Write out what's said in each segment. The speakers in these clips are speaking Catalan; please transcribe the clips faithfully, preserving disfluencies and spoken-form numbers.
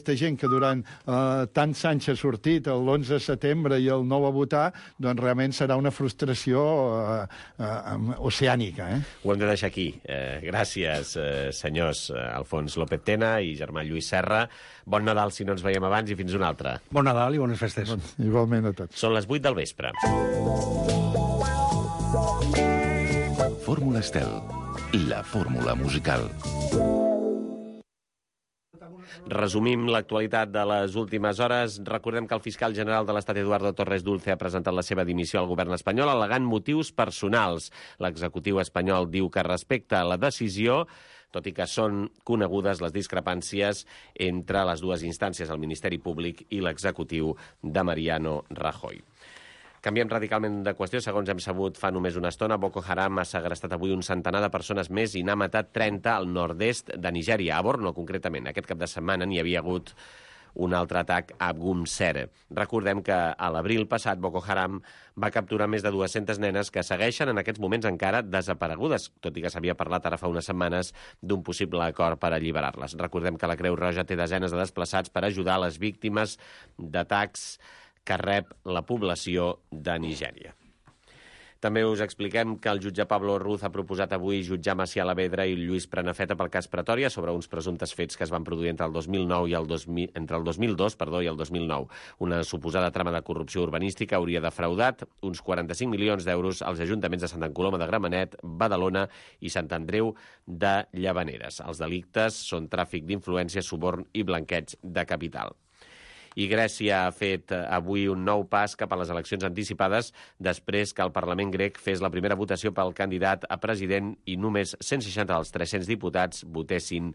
aquesta gent que durant eh, tants anys ha sortit, l'onze de setembre i el nou a votar, doncs realment serà una frustració eh, eh, oceànica. Eh? Ho hem de deixar aquí. Eh, gràcies, eh, senyors Alfons López Tena i germà Lluís Serra. Bon Nadal, si no ens veiem abans, i fins una altra. Bon Nadal i bones festes. Bon, igualment a tots. Són les vuit del vespre. Fórmula Estel, la fórmula musical. Resumim l'actualitat de les últimes hores. Recordem que el fiscal general de l'Estat, Eduardo Torres Dulce, ha presentat la seva dimissió al govern espanyol al·legant motius personals. L'executiu espanyol diu que respecta la decisió, tot i que són conegudes les discrepàncies entre les dues instàncies, el Ministeri Públic i l'executiu de Mariano Rajoy. Canviem radicalment de qüestió. Segons hem sabut fa només una estona, Boko Haram ha segrestat avui un centenar de persones més i n'ha matat trenta al nord-est de Nigèria, a Borno concretament. Aquest cap de setmana n'hi havia hagut un altre atac a Gumser. Recordem que a l'abril passat Boko Haram va capturar més de dues-centes nenes que segueixen en aquests moments encara desaparegudes, tot i que s'havia parlat ara fa unes setmanes d'un possible acord per alliberar-les. Recordem que la Creu Roja té desenes de desplaçats per ajudar les víctimes d'atacs que rep la població de Nigèria. També us expliquem que el jutge Pablo Ruz ha proposat avui jutjar Macià Alavedra i Lluís Prenafeta pel cas Pretòria sobre uns presumptes fets que es van produir entre el dos mil nou i el dos mil, entre el dos mil dos perdó, i el dos mil nou. Una suposada trama de corrupció urbanística hauria defraudat uns quaranta-cinc milions d'euros als ajuntaments de Santa Coloma de Gramenet, Badalona i Sant Andreu de Llavaneres. Els delictes són tràfic d'influència, suborn i blanqueig de capital. I Grècia ha fet avui un nou pas cap a les eleccions anticipades després que el Parlament grec fes la primera votació pel candidat a president i només cent seixanta dels tres-cents diputats votessin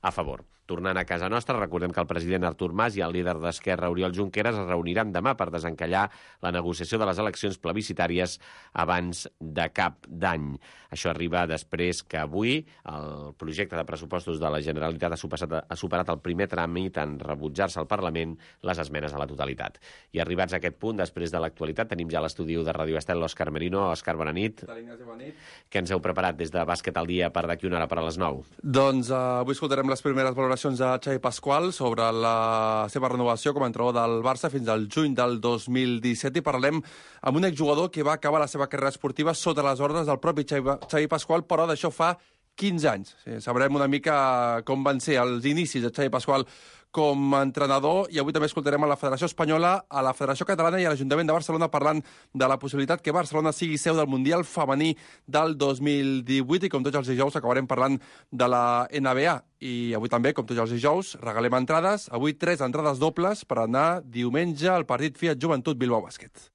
a favor. Tornant a casa nostra, recordem que el president Artur Mas i el líder d'Esquerra, Oriol Junqueras, es reuniran demà per desencallar la negociació de les eleccions plebiscitàries abans de cap d'any. Això arriba després que avui el projecte de pressupostos de la Generalitat ha superat, ha superat el primer tràmit en rebutjar-se al Parlament les esmenes a la totalitat. I arribats a aquest punt, després de l'actualitat, tenim ja a l'estudi de Ràdio Estel l'Òscar Merino. Òscar, bona nit. Bona nit. Què ens heu preparat des de Bàsquet al dia per d'aquí una hora per a les nou? Doncs uh, avui escoltarem les primeres valoracions de Xavi Pasqual sobre la seva renovació com a entrenador del Barça fins al juny del dos mil disset i parlem amb un exjugador que va acabar la seva carrera esportiva sota les ordres del propi Xavi, Xavi Pasqual, però d'això fa quinze anys. Sí, sabrem una mica com van ser els inicis de Xavi Pasqual com a entrenador, i avui també escoltarem a la Federació Espanyola, a la Federació Catalana i a l'Ajuntament de Barcelona parlant de la possibilitat que Barcelona sigui seu del Mundial Femení del dos mil divuit, i com tots els dijous acabarem parlant de la N B A. I avui també, com tots els dijous, regalem entrades. Avui tres entrades dobles per anar diumenge al partit Fiat Joventut Bilbao Bàsquet.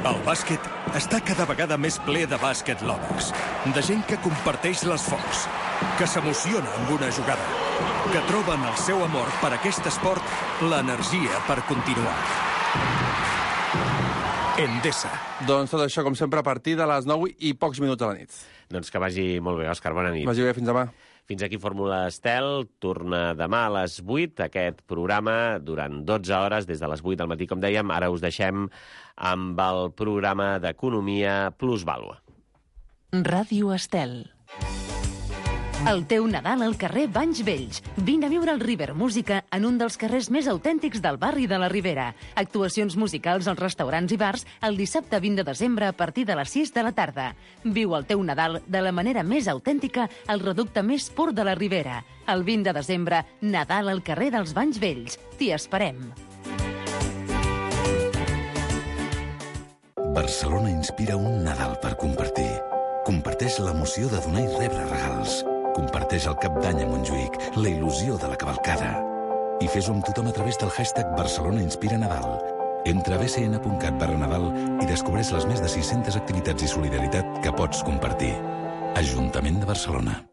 El bàsquet està cada vegada més ple de bàsquet lovers, de gent que comparteix l'esforç, que s'emociona amb una jugada, que troben el seu amor per aquest esport l'energia per continuar. Endesa. Doncs tot això, com sempre, a partir de les nou i pocs minuts de la nit. Doncs que vagi molt bé, Òscar, bona nit. Vagi bé, fins demà. Fins aquí Fórmula Estel, torna demà a les vuit, aquest programa durant dotze hores, des de les vuit del matí, com dèiem. Ara us deixem amb el programa d'Economia Plus Vàlua. Ràdio Estel. El teu Nadal al carrer Banys Vells. Vine a viure el River Música en un dels carrers més autèntics del barri de la Ribera. Actuacions musicals als restaurants i bars el dissabte vint de desembre a partir de les sis de la tarda. Viu el teu Nadal de la manera més autèntica al reducte més pur de la Ribera. El vint de desembre, Nadal al carrer dels Banys Vells. T'hi esperem. Barcelona inspira un Nadal per compartir. Comparteix l'emoció de donar i rebre regals. Comparteix el Cap d'Any a Montjuïc, la il·lusió de la cavalcada. I fes-ho amb tothom a través del hashtag Barcelona Inspira Nadal. Entra a b c n punt cat barra Nadal i descobreix les més de sis-centes activitats i solidaritat que pots compartir. Ajuntament de Barcelona.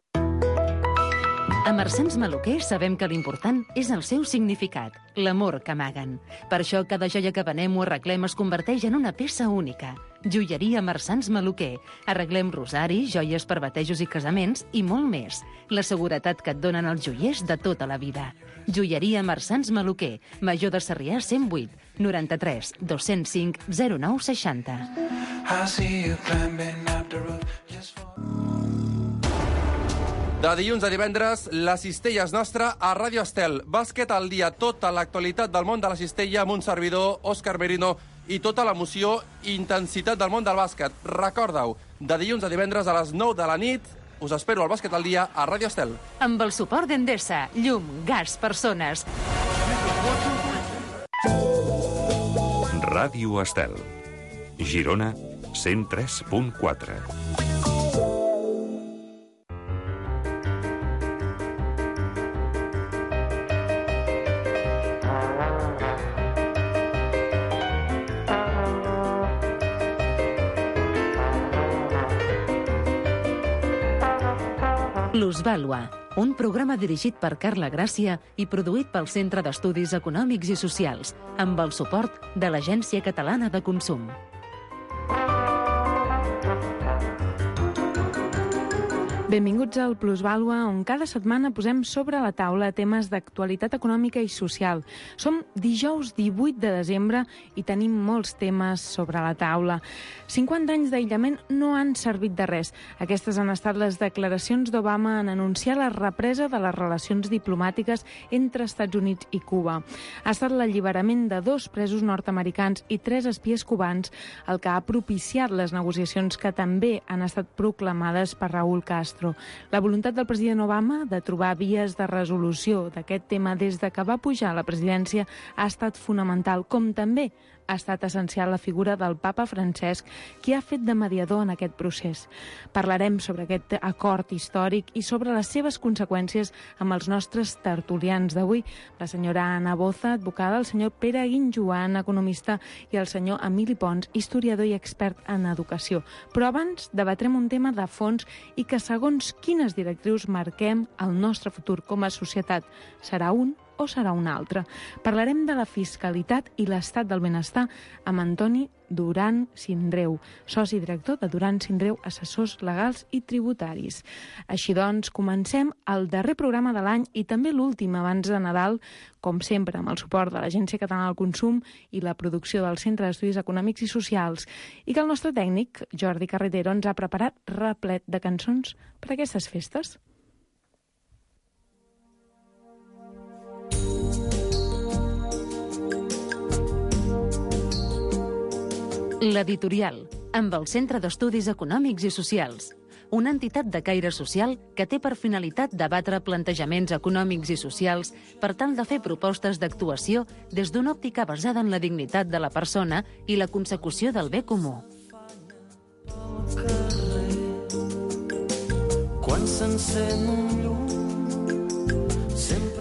A Marsans Maluquer sabem que l'important és el seu significat, l'amor que amaguen. Per això cada joia que venem o arreglem es converteix en una peça única. Joieria Marsans Maluquer. Arreglem rosaris, joies per batejos i casaments i molt més. La seguretat que et donen els joiers de tota la vida. Joieria Marsans Maluquer. Major de Sarrià cent vuit, noranta-tres, dos-cents cinc, zero nou seixanta. De dilluns a divendres, la cistella és nostra a Ràdio Estel. Bàsquet al dia, tota l'actualitat del món de la cistella amb un servidor, Òscar Merino, i tota l'emoció i intensitat del món del bàsquet. Recorda-ho, de dilluns a divendres a les nou de la nit, us espero al Bàsquet al dia a Ràdio Estel. Amb el suport d'Endesa, llum, gas, persones. Ràdio Estel. Girona, cent tres punt quatre. Plusvàlua, un programa dirigit per Carla Gràcia i produït pel Centre d'Estudis Econòmics i Socials, amb el suport de l'Agència Catalana de Consum. Benvinguts al Plusvàlua, on cada setmana posem sobre la taula temes d'actualitat econòmica i social. Som dijous divuit de desembre i tenim molts temes sobre la taula. cinquanta anys d'aïllament no han servit de res. Aquestes han estat les declaracions d'Obama en anunciar la represa de les relacions diplomàtiques entre Estats Units i Cuba. Ha estat l'alliberament de dos presos nord-americans i tres espies cubans el que ha propiciat les negociacions que també han estat proclamades per Raúl Castro. La voluntat del president Obama de trobar vies de resolució d'aquest tema des de que va pujar a la presidència ha estat fonamental, com també ha estat essencial la figura del papa Francesc, qui ha fet de mediador en aquest procés. Parlarem sobre aquest acord històric i sobre les seves conseqüències amb els nostres tertulians d'avui, la senyora Anna Boza, advocada, el senyor Pere Guinjoan, economista, i el senyor Emili Pons, historiador i expert en educació. Però abans debatrem un tema de fons i que segons quines directrius marquem el nostre futur com a societat. Serà un o serà un altre? Parlarem de la fiscalitat i l'estat del benestar amb Antoni Duran Sindreu, soci director de Duran Sindreu, assessors legals i tributaris. Així doncs, comencem el darrer programa de l'any i també l'últim abans de Nadal, com sempre, amb el suport de l'Agència Catalana del Consum i la producció del Centre d'Estudis Econòmics i Socials, i que el nostre tècnic, Jordi Carretero, ens ha preparat replet de cançons per a aquestes festes. L'Editorial, amb el Centre d'Estudis Econòmics i Socials, una entitat de caire social que té per finalitat debatre plantejaments econòmics i socials per tal de fer propostes d'actuació des d'una òptica basada en la dignitat de la persona i la consecució del bé comú. Quan s'encén un llum.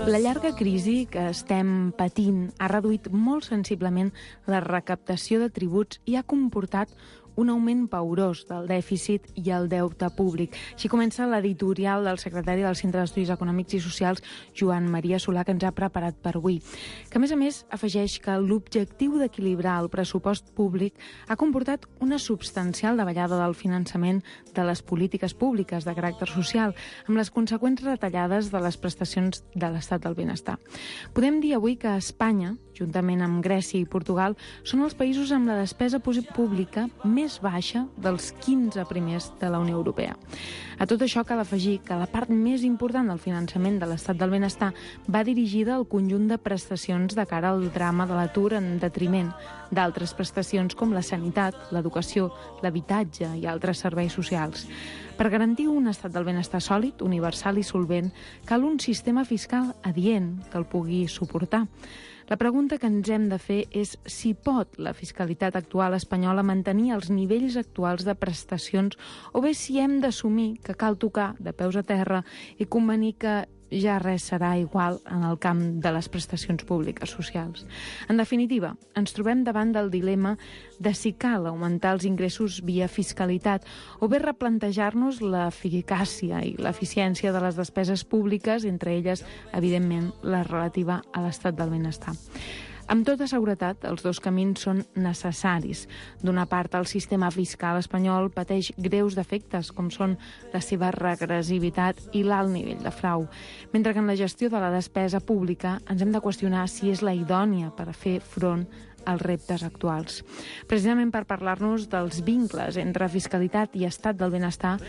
La llarga crisi que estem patint ha reduït molt sensiblement la recaptació de tributs i ha comportat un augment paurós del dèficit i el deute públic. Així comença l'editorial del secretari del Centre d'Estudis Econòmics i Socials, Joan Maria Solà, que ens ha preparat per avui. Que, a més a més, afegeix que l'objectiu d'equilibrar el pressupost públic ha comportat una substancial davallada del finançament de les polítiques públiques de caràcter social, amb les conseqüents retallades de les prestacions de l'estat del benestar. Podem dir avui que Espanya, juntament amb Grècia i Portugal, són els països amb la despesa pública més baixa dels quinze primers de la Unió Europea. A tot això cal afegir que la part més important del finançament de l'estat del benestar va dirigida al conjunt de prestacions de cara al drama de l'atur en detriment d'altres prestacions com la sanitat, l'educació, l'habitatge i altres serveis socials. Per garantir un estat del benestar sòlid, universal i solvent, cal un sistema fiscal adient que el pugui suportar. La pregunta que ens hem de fer és si pot la fiscalitat actual espanyola mantenir els nivells actuals de prestacions o bé si hem d'assumir que cal tocar de peus a terra i convenir que ja res serà igual en el camp de les prestacions públiques socials. En definitiva, ens trobem davant del dilema de si cal augmentar els ingressos via fiscalitat o bé replantejar-nos l'eficàcia i l'eficiència de les despeses públiques, entre elles, evidentment, la relativa a l'estat del benestar. Amb tota seguretat, els dos camins són necessaris. D'una part, el sistema fiscal espanyol pateix greus defectes, com són la seva regressivitat i l'alt nivell de frau, mentre que en la gestió de la despesa pública ens hem de qüestionar si és la idònia per a fer front als reptes actuals. Precisament per parlar-nos dels vincles entre fiscalitat i estat del benestar,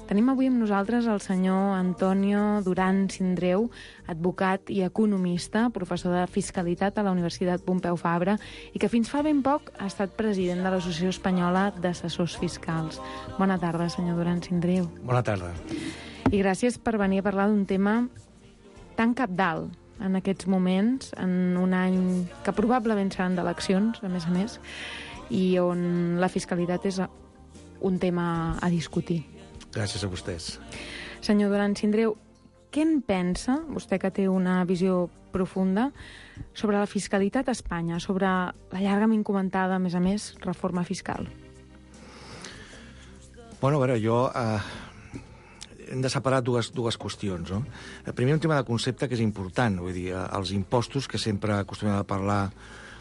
tenim avui amb nosaltres el senyor Antonio Duran Sindreu, advocat i economista, professor de Fiscalitat a la Universitat Pompeu Fabra i que fins fa ben poc ha estat president de l'Associació Espanyola d'Assessors Fiscals. Bona tarda, senyor Duran Sindreu. Bona tarda. I gràcies per venir a parlar d'un tema tan cabdal en aquests moments, en un any que probablement seran d'eleccions, a més a més, i on la fiscalitat és un tema a discutir. Gràcies a vostès. Senyor Duran Sindreu, què en pensa, vostè que té una visió profunda, sobre la fiscalitat a Espanya, sobre la llargament comentada, a més a més, reforma fiscal? Bueno, a veure, jo... Eh, hem de separar dues, dues qüestions, no? Primer, un tema de concepte que és important, vull dir, els impostos, que sempre acostumem a parlar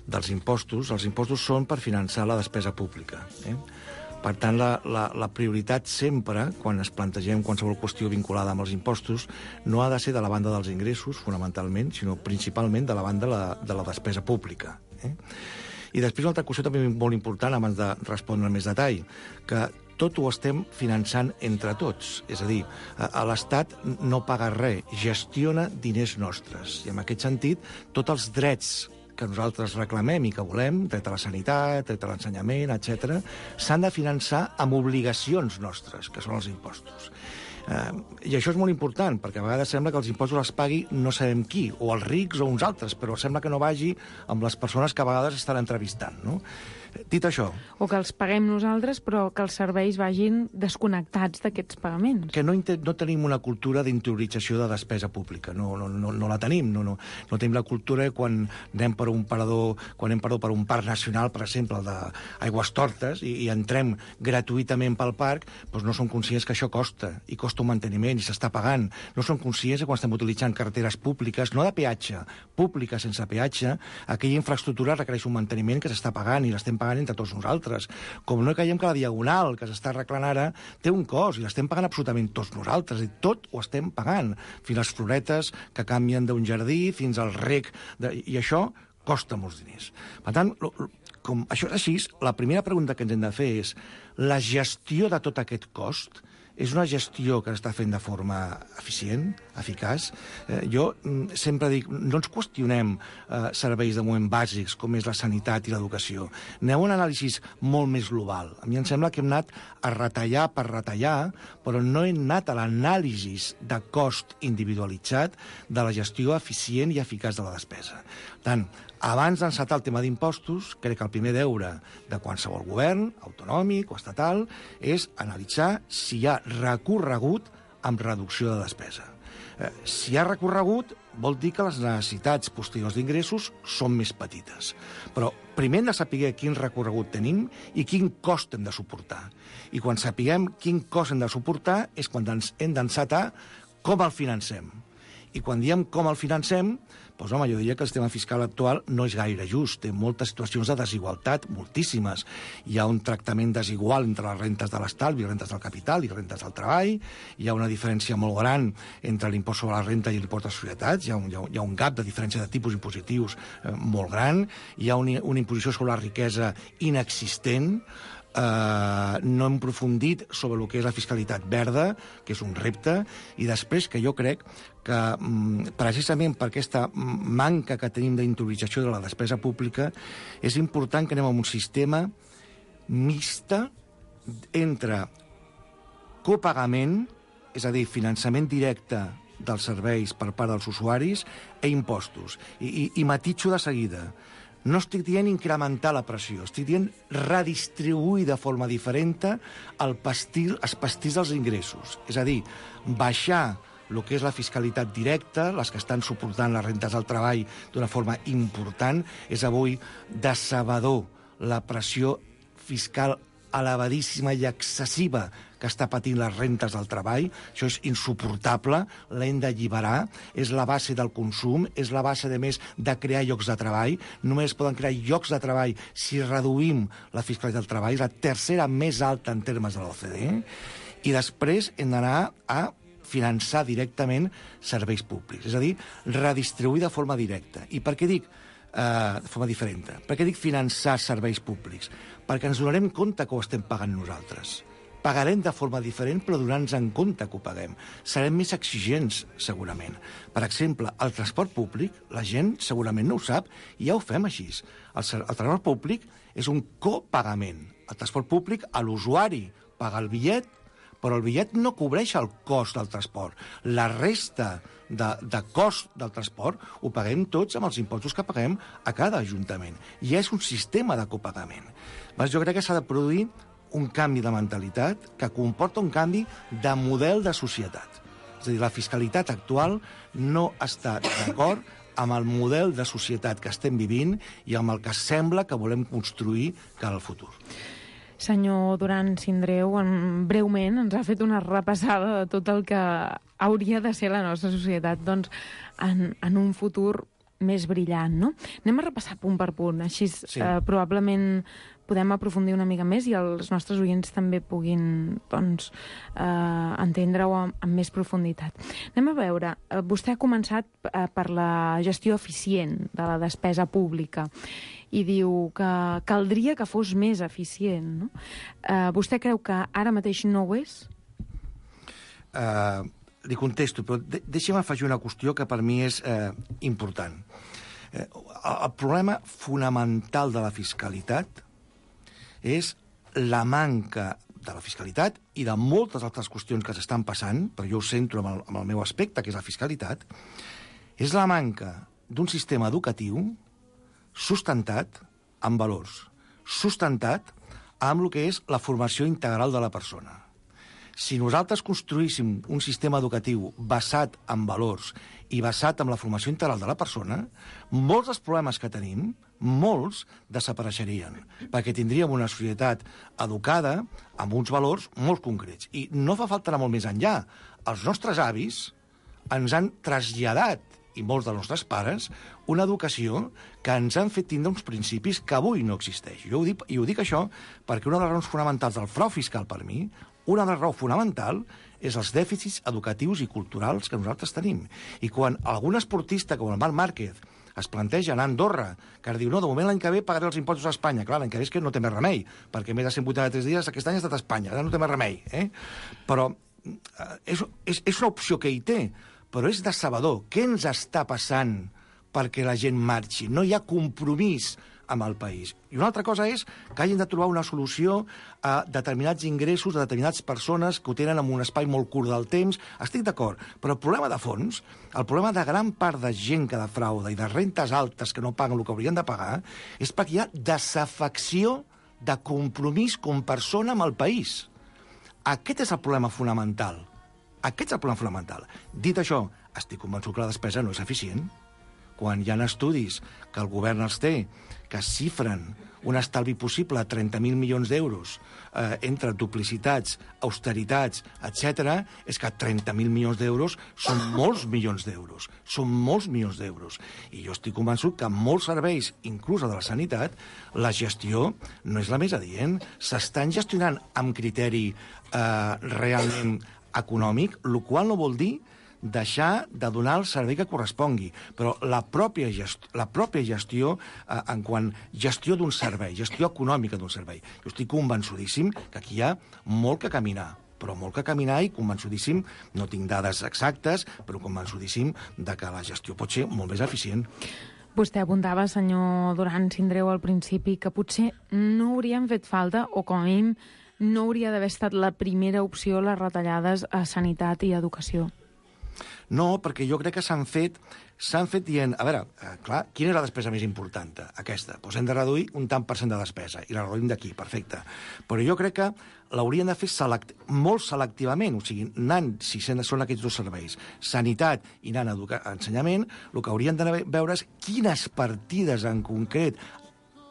dels impostos, els impostos són per finançar la despesa pública, eh? Per tant, la, la, la prioritat sempre, quan es plantegem qualsevol qüestió vinculada amb els impostos, no ha de ser de la banda dels ingressos, fonamentalment, sinó principalment de la banda de la, de la despesa pública. Eh? I després una altra qüestió també molt important, abans de respondre en més detall, que tot ho estem finançant entre tots. És a dir, l'Estat no paga res, gestiona diners nostres. I en aquest sentit, tots els drets que nosaltres reclamem i que volem, dret a la sanitat, dret a l'ensenyament, etcètera, s'han de finançar amb obligacions nostres, que són els impostos. Uh, I això és molt important, perquè a vegades sembla que els impostos els pagui no sabem qui, o els rics o uns altres, però sembla que no vagi amb les persones que a vegades estan entrevistant, no? Dit això... O que els paguem nosaltres, però que els serveis vagin desconnectats d'aquests pagaments. Que no, no tenim una cultura d'interiorització de despesa pública. No, no, no, no la tenim. No, no, no tenim la cultura quan anem per un parador, quan anem perdó, per un parc nacional, per exemple, d'Aigüestortes, i, i entrem gratuïtament pel parc, doncs no som conscients que això costa, i costa un manteniment, i s'està pagant. No som conscients que quan estem utilitzant carreteres públiques, no de peatge, públiques sense peatge, aquella infraestructura requereix un manteniment que s'està pagant i l'estem pagant entre tots nosaltres. Com no caiem que la diagonal que s'està arreglant ara té un cost i l'estem pagant absolutament tots nosaltres. I tot ho estem pagant. Fins les floretes que canvien d'un jardí, fins al rec. De... I això costa molts diners. Per tant, com això és així, la primera pregunta que ens hem de fer és la gestió de tot aquest cost és una gestió que s'està fent de forma eficient, eficaç. Eh, jo mm, sempre dic, no ens qüestionem eh, serveis de moment bàsics, com és la sanitat i l'educació. Aneu a un anàlisi molt més global. A mi em sembla que hem anat a retallar per retallar, però no hem anat a l'anàlisi de cost individualitzat de la gestió eficient i eficaç de la despesa. Tant, abans d'encetar el tema d'impostos, crec que el primer deure de qualsevol govern, autonòmic o estatal, és analitzar si hi ha recorregut amb reducció de despesa. Eh, si hi ha recorregut, vol dir que les necessitats posteriors d'ingressos són més petites. Però primer hem de saber quin recorregut tenim i quin cost hem de suportar. I quan sapiguem quin cost hem de suportar és quan ens hem d'encetar com el financem. I quan diem com el financem, doncs, home, jo diria que el sistema fiscal actual no és gaire just. Té moltes situacions de desigualtat, moltíssimes. Hi ha un tractament desigual entre les rentes de l'estalvi, rentes del capital i rentes del treball. Hi ha una diferència molt gran entre l'impost sobre la renta i l'impost de societats. Hi ha un, hi ha un, hi ha un gap de diferència de tipus impositius eh, molt gran. Hi ha un, una imposició sobre la riquesa inexistent. Uh, no hem aprofundit sobre el que és la fiscalitat verda, que és un repte, i després que jo crec que um, precisament per aquesta manca que tenim d'interiorització de la despesa pública és important que anem a un sistema mixta entre copagament, és a dir, finançament directe dels serveis per part dels usuaris, e impostos. I, i, i matitxo de seguida. No estic dient incrementar la pressió, estic dient redistribuir de forma diferent el pastil, els pastirs dels ingressos. És a dir, baixar el que és la fiscalitat directa, les que estan suportant les rentes del treball d'una forma important, és avui decebedor la pressió fiscal elevadíssima i excessiva que està patint les rentes del treball. Això és insuportable, l'hem d'alliberar, és la base del consum, és la base, de més, de crear llocs de treball. Només poden crear llocs de treball si reduïm la fiscalitat del treball, és la tercera més alta en termes de l'O C D E, i després hem d'anar a finançar directament serveis públics, és a dir, redistribuir de forma directa. I per què dic eh, de forma diferent. Per què dic finançar serveis públics? Perquè ens donarem compte que ho estem pagant nosaltres. Pagarem de forma diferent, però donant-nos en compte que ho paguem. Serem més exigents, segurament. Per exemple, el transport públic, la gent segurament no ho sap, i ja ho fem així. El, el transport públic és un copagament. El transport públic, a l'usuari paga el bitllet, però el bitllet no cobreix el cost del transport. La resta de, de cost del transport ho paguem tots amb els impostos que paguem a cada ajuntament. I és un sistema de copagament. Jo crec que s'ha de produir un canvi de mentalitat que comporta un canvi de model de societat. És a dir, la fiscalitat actual no està d'acord amb el model de societat que estem vivint i amb el que sembla que volem construir cara al futur. Senyor Duran Sindreu, en, breument ens ha fet una repassada de tot el que hauria de ser la nostra societat doncs, en, en un futur més brillant, no? Anem a repassar punt per punt, així sí. eh, probablement podem aprofundir una mica més i els nostres oients també puguin doncs, eh, entendre-ho amb, amb més profunditat. Anem a veure, eh, vostè ha començat eh, per la gestió eficient de la despesa pública i diu que caldria que fos més eficient. No? Eh, vostè creu que ara mateix no ho és? Uh, li contesto, però de deixa'm afegir una qüestió que per mi és eh, important. Eh, el problema fonamental de la fiscalitat és la manca de la fiscalitat i de moltes altres qüestions que s'estan passant, però jo ho centro amb el, amb el meu aspecte, que és la fiscalitat, és la manca d'un sistema educatiu sustentat amb valors, sustentat amb el que és la formació integral de la persona. Si nosaltres construíssim un sistema educatiu basat en valors i basat en la formació integral de la persona, molts dels problemes que tenim, molts desapareixerien, perquè tindríem una societat educada amb uns valors molt concrets. I no fa falta anar molt més enllà. Els nostres avis ens han traslladat, i molts dels nostres pares, una educació que ens han fet tindre uns principis que avui no existeix. Jo ho dic, i ho dic això perquè una de les raons fonamentals del frau fiscal per mi, una de les raons fonamental és els dèficits educatius i culturals que nosaltres tenim. I quan algun esportista com el Marc Márquez es planteja anar a Andorra, que ara diu, no, de moment l'any que ve pagaré els impostos a Espanya. Clar, l'any que ve és que no té més remei, perquè més de cent vuitanta-tres dies aquest any ha estat a Espanya, ara no té més remei. Eh? Però eh, és, és, és una opció que hi té, però és decebedor. Què ens està passant perquè la gent marxi? No hi ha compromís amb el país. I una altra cosa és que hagin de trobar una solució a determinats ingressos de determinades persones que ho tenen en un espai molt curt del temps. Estic d'acord, però el problema de fons, el problema de gran part de gent que defrauda i de rentes altes que no paguen el que haurien de pagar, és perquè hi ha desafecció de compromís com persona amb el país. Aquest és el problema fonamental. Aquest és el problema fonamental. Dit això, estic convençut que la despesa no és eficient. Quan hi ha estudis que el govern els té, que xifren un estalvi possible a trenta mil milions d'euros eh, entre duplicitats, austeritats, etcètera, és que trenta mil milions d'euros són molts milions d'euros. Són molts milions d'euros. I jo estic convençut que en molts serveis, inclús de la sanitat, la gestió no és la més adient. S'estan gestionant amb criteri eh, realment econòmic, el qual no vol dir deixar de donar el servei que correspongui. Però la pròpia gestió, la pròpia gestió eh, en quant gestió d'un servei, gestió econòmica d'un servei. Jo estic convençudíssim que aquí hi ha molt que caminar, però molt que caminar i convençudíssim, no tinc dades exactes, però convençudíssim de que la gestió pot ser molt més eficient. Vostè apuntava, senyor Duran Sindreu, al principi, que potser no haurien fet falta, o com a mínim no hauria d'haver estat la primera opció les retallades a sanitat i educació. No, perquè jo crec que s'han fet s'han fet dient, a veure, eh, clar, quina és la despesa més important? Aquesta. Doncs hem de reduir un tant per cent de despesa, i la reduïm d'aquí, perfecte. Però jo crec que l'haurien de fer select molt selectivament, o sigui, anant, si són aquests dos serveis, sanitat i anant a ensenyament, el que haurien de veure és quines partides en concret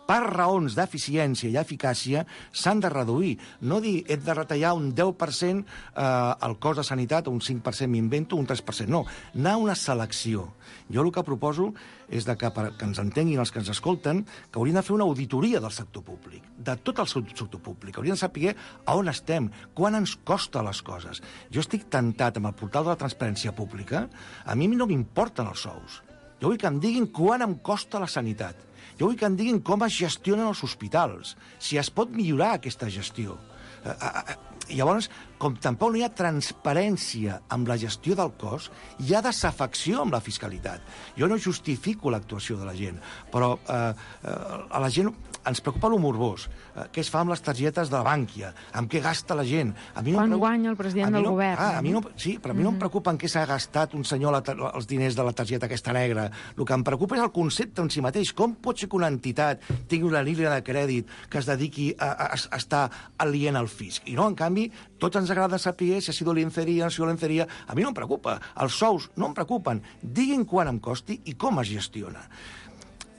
per raons d'eficiència i eficàcia, s'han de reduir. No dir, hem de retallar un deu per cent eh, el cost de sanitat, o un cinc per cent m'invento, un tres per cent. No, anar a una selecció. Jo el que proposo és de que, per, que ens entenguin els que ens escolten, que haurien de fer una auditoria del sector públic, de tot el sector públic. Haurien de saber a on estem, quan ens costa les coses. Jo estic tentat amb el portal de la transparència pública, a mi no m'importen els sous. Jo vull que em diguin quant em costa la sanitat. Jo vull que em diguin com es gestionen els hospitals, si es pot millorar aquesta gestió. Eh, eh, llavors, com tampoc no hi ha transparència amb la gestió del cos, hi ha desafecció amb la fiscalitat. Jo no justifico l'actuació de la gent, però eh, eh, a la gent ens preocupa lo morbós. Eh, què es fa amb les targetes de la Bànquia? Amb què gasta la gent? A mi no Quan preocupa... guanya el president no... del govern. Ah, a mi no... Sí, però a mi mm-hmm. no em preocupa en què s'ha gastat un senyor la... els diners de la targeta aquesta negra. El que em preocupa és el concepte en si mateix. Com pot ser que una entitat tingui una línia de crèdit que es dediqui a, a, a estar alient al fisc? I no, en canvi, tots ens agrada saber si ha sido lenceria o no ha sido lenceria. A mi no em preocupa. Els sous no em preocupen. Diguin quan em costi i com es gestiona.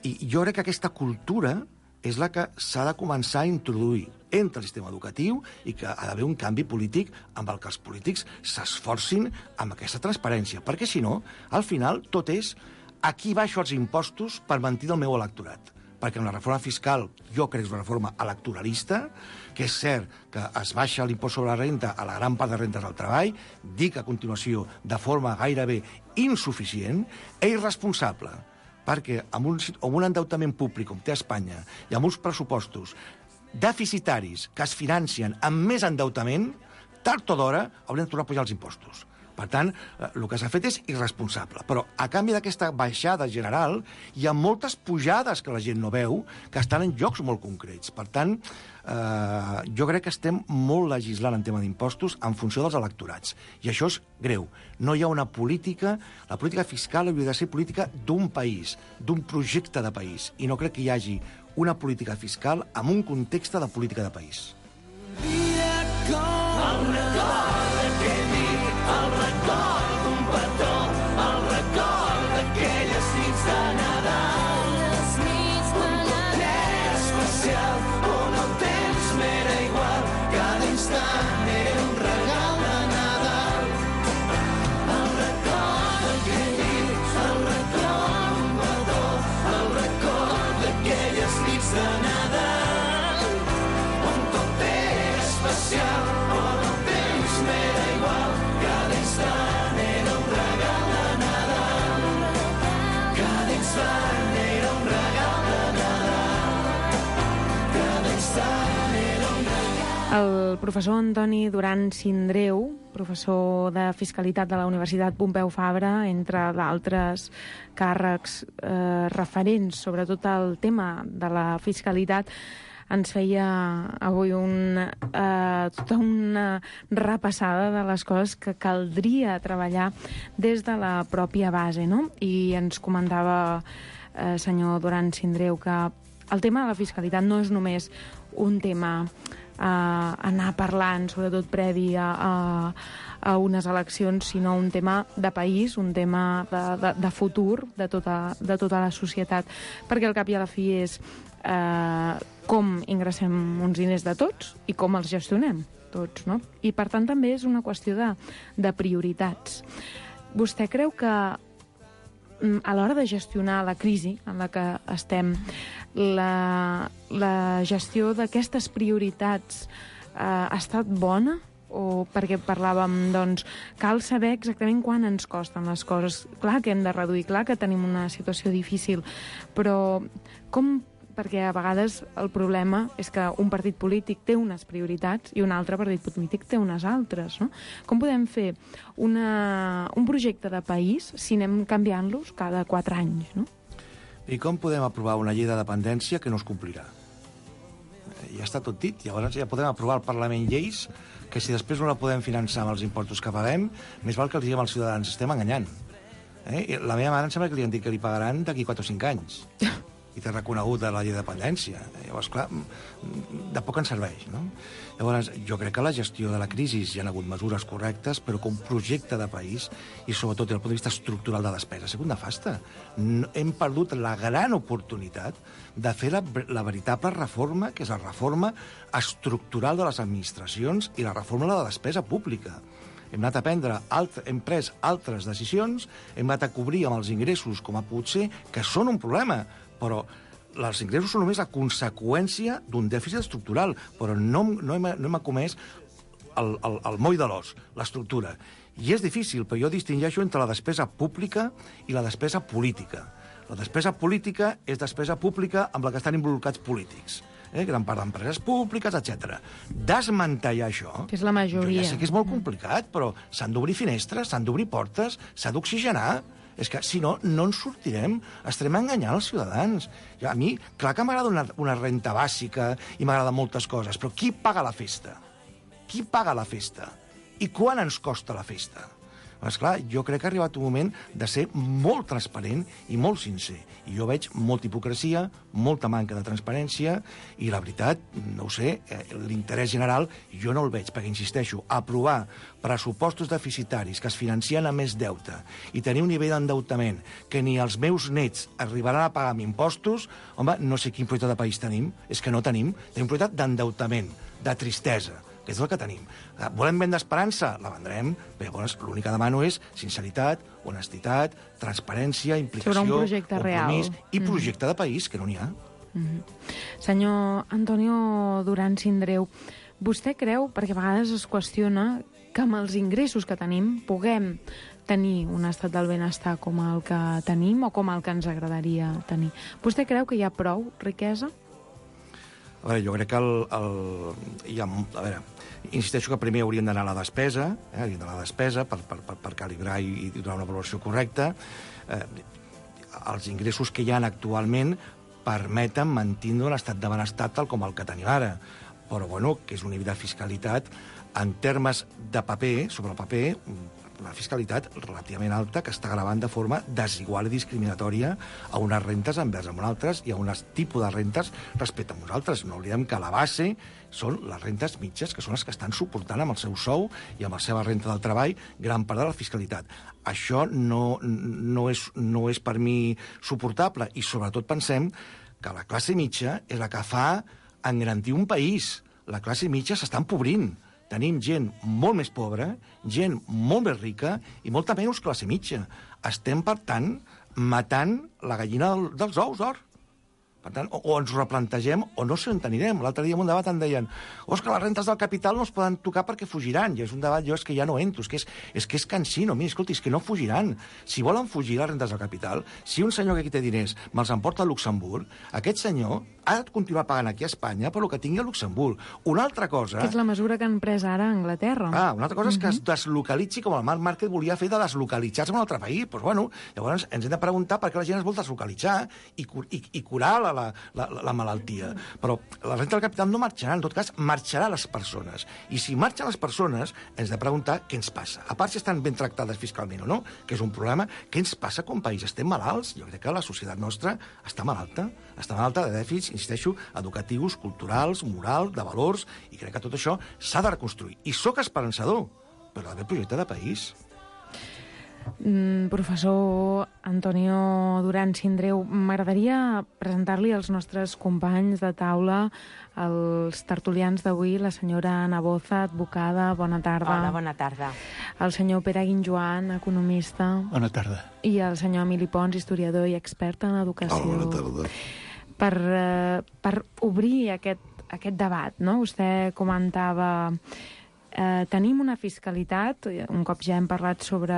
I jo crec que aquesta cultura és la que s'ha de començar a introduir entre el sistema educatiu i que ha d'haver un canvi polític amb el que els polítics s'esforcin amb aquesta transparència. Perquè, si no, al final tot és aquí baixo els impostos per mentir del meu electorat. Perquè en la reforma fiscal jo crec que és una reforma electoralista, que és cert que es baixa l'impost sobre la renta a la gran part de rentes del treball, dic a continuació de forma gairebé insuficient, és irresponsable, perquè amb un, amb un endeutament públic com té Espanya i amb uns pressupostos deficitaris que es financien amb més endeutament, tard o d'hora haurem de tornar a pujar els impostos. Per tant, el que s'ha fet és irresponsable. Però, a canvi d'aquesta baixada general, hi ha moltes pujades que la gent no veu, que estan en llocs molt concrets. Per tant, eh, jo crec que estem molt legislant en tema d'impostos en funció dels electorats. I això és greu. No hi ha una política... La política fiscal hauria de ser política d'un país, d'un projecte de país. I no crec que hi hagi una política fiscal en un context de política de país. El record d'aquell nit, el record d'un petó, el record d'aquelles nits de Nadal. Les nits de Nadal. Un temps especial on el temps m'era igual, cada instant era un regal de Nadal. El record d'aquell nit, el record d'un petó, el record d'aquelles nits de Nadal, on tot era especial. El professor Antoni Duran Sindreu, professor de Fiscalitat de la Universitat Pompeu Fabra, entre d'altres càrrecs eh, referents, sobretot al tema de la fiscalitat, ens feia avui un, eh, tota una repassada de les coses que caldria treballar des de la pròpia base, no? I ens comentava, eh, senyor Duran Sindreu, que el tema de la fiscalitat no és només un tema a anar parlant, sobretot previ a, a, a unes eleccions, sinó un tema de país, un tema de, de, de futur de tota, de tota la societat, perquè al cap i a la fi és eh, com ingressem uns diners de tots i com els gestionem tots, no? I per tant també és una qüestió de, de prioritats. Vostè creu que a l'hora de gestionar la crisi en la que estem, la, la gestió d'aquestes prioritats eh, ha estat bona? O perquè parlàvem, doncs, cal saber exactament quan ens costen les coses. Clar que hem de reduir, clar que tenim una situació difícil, però com... Perquè a vegades el problema és que un partit polític té unes prioritats i un altre partit polític té unes altres, no? Com podem fer una, un projecte de país si anem canviant-los cada quatre anys, no? I com podem aprovar una llei de dependència que no es complirà? Ja està tot dit. Llavors ja podem aprovar al Parlament lleis que si després no la podem finançar amb els impostos que paguem, més val que els diguem als ciutadans, estem enganyant. Eh? La meva mare em sembla que li han dit que li pagaran d'aquí quatre o cinc anys. I té reconegut de la llei de dependència. Llavors, clar, de poc ens serveix, no? Llavors, jo crec que la gestió de la crisi hi ha hagut mesures correctes, però com projecte de país, i sobretot des del punt de vista estructural de despesa, ha sigut nefasta. Hem perdut la gran oportunitat de fer la, la veritable reforma, que és la reforma estructural de les administracions i la reforma de la despesa pública. Hem anat a prendre, alt, hem pres altres decisions, hem anat a cobrir amb els ingressos, com ha pogut ser, que són un problema, però els ingressos són només la conseqüència d'un dèficit estructural, però no, no, hem, no hem comès el, el, el moll de l'os, l'estructura. I és difícil, però jo distingeixo entre la despesa pública i la despesa política. La despesa política és despesa pública amb la que estan involucrats polítics. Eh? Gran part d'empreses públiques, etcètera. Desmantellar això... Que és la majoria. Jo ja sé que és molt complicat, però s'han d'obrir finestres, s'han d'obrir portes, s'ha d'oxigenar. És que, si no, no ens sortirem. Estarem enganyant els ciutadans. Jo, a mi, clar que m'agrada una, una renta bàsica i m'agrada moltes coses, però qui paga la festa? Qui paga la festa? I quan ens costa la festa? Esclar, jo crec que ha arribat un moment de ser molt transparent i molt sincer. I jo veig molta hipocresia, molta manca de transparència, i la veritat, no ho sé, l'interès general jo no el veig, perquè, insisteixo, aprovar pressupostos deficitaris que es financien amb més deute i tenir un nivell d'endeutament que ni els meus nets arribaran a pagar amb impostos, home, no sé quin projecte de país tenim, és que no tenim, tenim un projecte d'endeutament, de tristesa, que és el que tenim. Volem vendre esperança? La vendrem, però llavors l'únic que demano és sinceritat, honestitat, transparència, implicació, compromís real. I mm. projecte de país, que no n'hi ha. Mm-hmm. Senyor Antonio Duran Sindreu, vostè creu, perquè a vegades es qüestiona, que amb els ingressos que tenim puguem tenir un estat del benestar com el que tenim o com el que ens agradaria tenir. Vostè creu que hi ha prou riquesa? A veure, jo crec que el... el hi ha, a veure, insisteixo que primer hauríem d'anar a la despesa, eh, hauríem d'anar a la despesa per, per, per, per calibrar i, i donar una valoració correcta. Eh, els ingressos que hi ha actualment permeten mantenir un estat de benestar tal com el que tenim ara. Però, bueno, que és un nivell de fiscalitat en termes de paper, sobre el paper, una fiscalitat relativament alta que està gravant de forma desigual i discriminatòria a unes rentes envers amb altres i a un tipus de rentes respecte a nosaltres. No oblidem que la base són les rentes mitges, que són les que estan suportant amb el seu sou i amb la seva renta del treball gran part de la fiscalitat. Això no, no, és, no és per mi suportable i sobretot pensem que la classe mitja és la que fa engrandir un país. La classe mitja s'està empobrint. Tenim gent molt més pobra, gent molt més rica i molta menys classe mitja. Estem, per tant, matant la gallina del, dels ous d'or. Per tant, o, o ens replantegem o no se'n tenirem. L'altre dia en un debat em deien oh, és que les rentes del capital no es poden tocar perquè fugiran. I és un debat, jo és que ja no entro, és que és, és, que és cansino. Mira, escolti, és que no fugiran. Si volen fugir les rentes del capital, si un senyor que aquí té diners me'ls emporta a Luxemburg, aquest senyor ha de continuar pagant aquí a Espanya per lo que tingui a Luxemburg. Una altra cosa... Que és la mesura que han pres ara a Anglaterra. Ah, una altra cosa és que es deslocalitzi com el Marc Márquez volia fer de deslocalitzar-se en un altre país. Pues, bueno, llavors ens hem de preguntar per què la gent es vol deslocalitzar i, i, i curar la, la, la, la malaltia. Però la renta del capital no marxarà, en tot cas, marxarà les persones. I si marxen les persones, ens hem de preguntar què ens passa. A part si estan ben tractades fiscalment o no, que és un problema, què ens passa com a país? Estem malalts? Jo crec que la societat nostra està malalta. Està malalta de dèficits, insisteixo, educatius, culturals, morals, de valors, i crec que tot això s'ha de reconstruir. I sóc esperançador, però ha d'haver projecte de país. Mm, professor Antonio Duran Sindreu, m'agradaria presentar-li als nostres companys de taula, els tertulians d'avui, la senyora Ana Boza, advocada, bona tarda. Hola, bona tarda. El senyor Pere Guinjoan, economista. Bona tarda. I el senyor Emili Pons, historiador i expert en educació. Hola, bona tarda. Per, eh, per obrir aquest, aquest debat, no? Vostè comentava... Eh, tenim una fiscalitat, un cop ja hem parlat sobre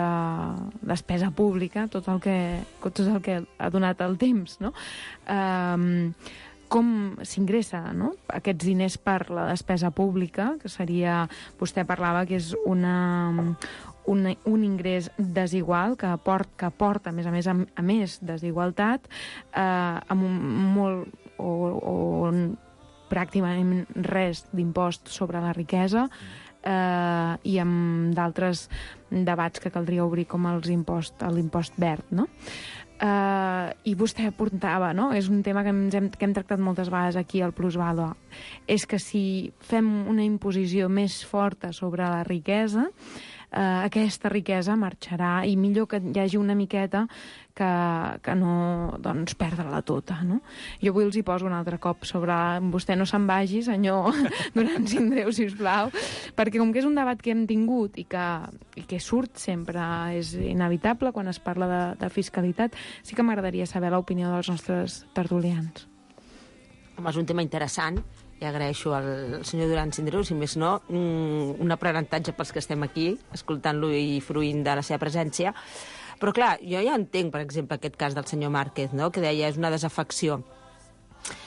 despesa pública, tot el que, tot el que ha donat el temps, no? Eh, com s'ingressa, no? Aquests diners per la despesa pública, que seria, vostè parlava que és una, un, un ingrés desigual, que, port, que porta, a més a més, a, a més desigualtat, eh, amb un molt... o, o pràcticament res d'impost sobre la riquesa, eh, i amb d'altres debats que caldria obrir com els impost, l'impost verd, no? Eh, I vostè apuntava, no? És un tema que, ens hem, que hem tractat moltes vegades aquí al Plusvalua. És que si fem una imposició més forta sobre la riquesa, eh, aquesta riquesa marxarà i millor que hi hagi una miqueta que, que no, doncs, perdre-la tota, no? Jo avui els hi poso un altre cop sobre... Vostè no se'n vagi, senyor Duran Sindreu, sisplau, perquè com que és un debat que hem tingut i que, i que surt sempre, és inevitable quan es parla de, de fiscalitat, sí que m'agradaria saber l'opinió dels nostres tertulians. Home, és un tema interessant i agraeixo al senyor Duran Sindreu, si més no, un aprenentatge pels que estem aquí, escoltant-lo i fruint de la seva presència. Però clar, jo ja entenc, per exemple, aquest cas del senyor Márquez, no?, que deia és una desafecció.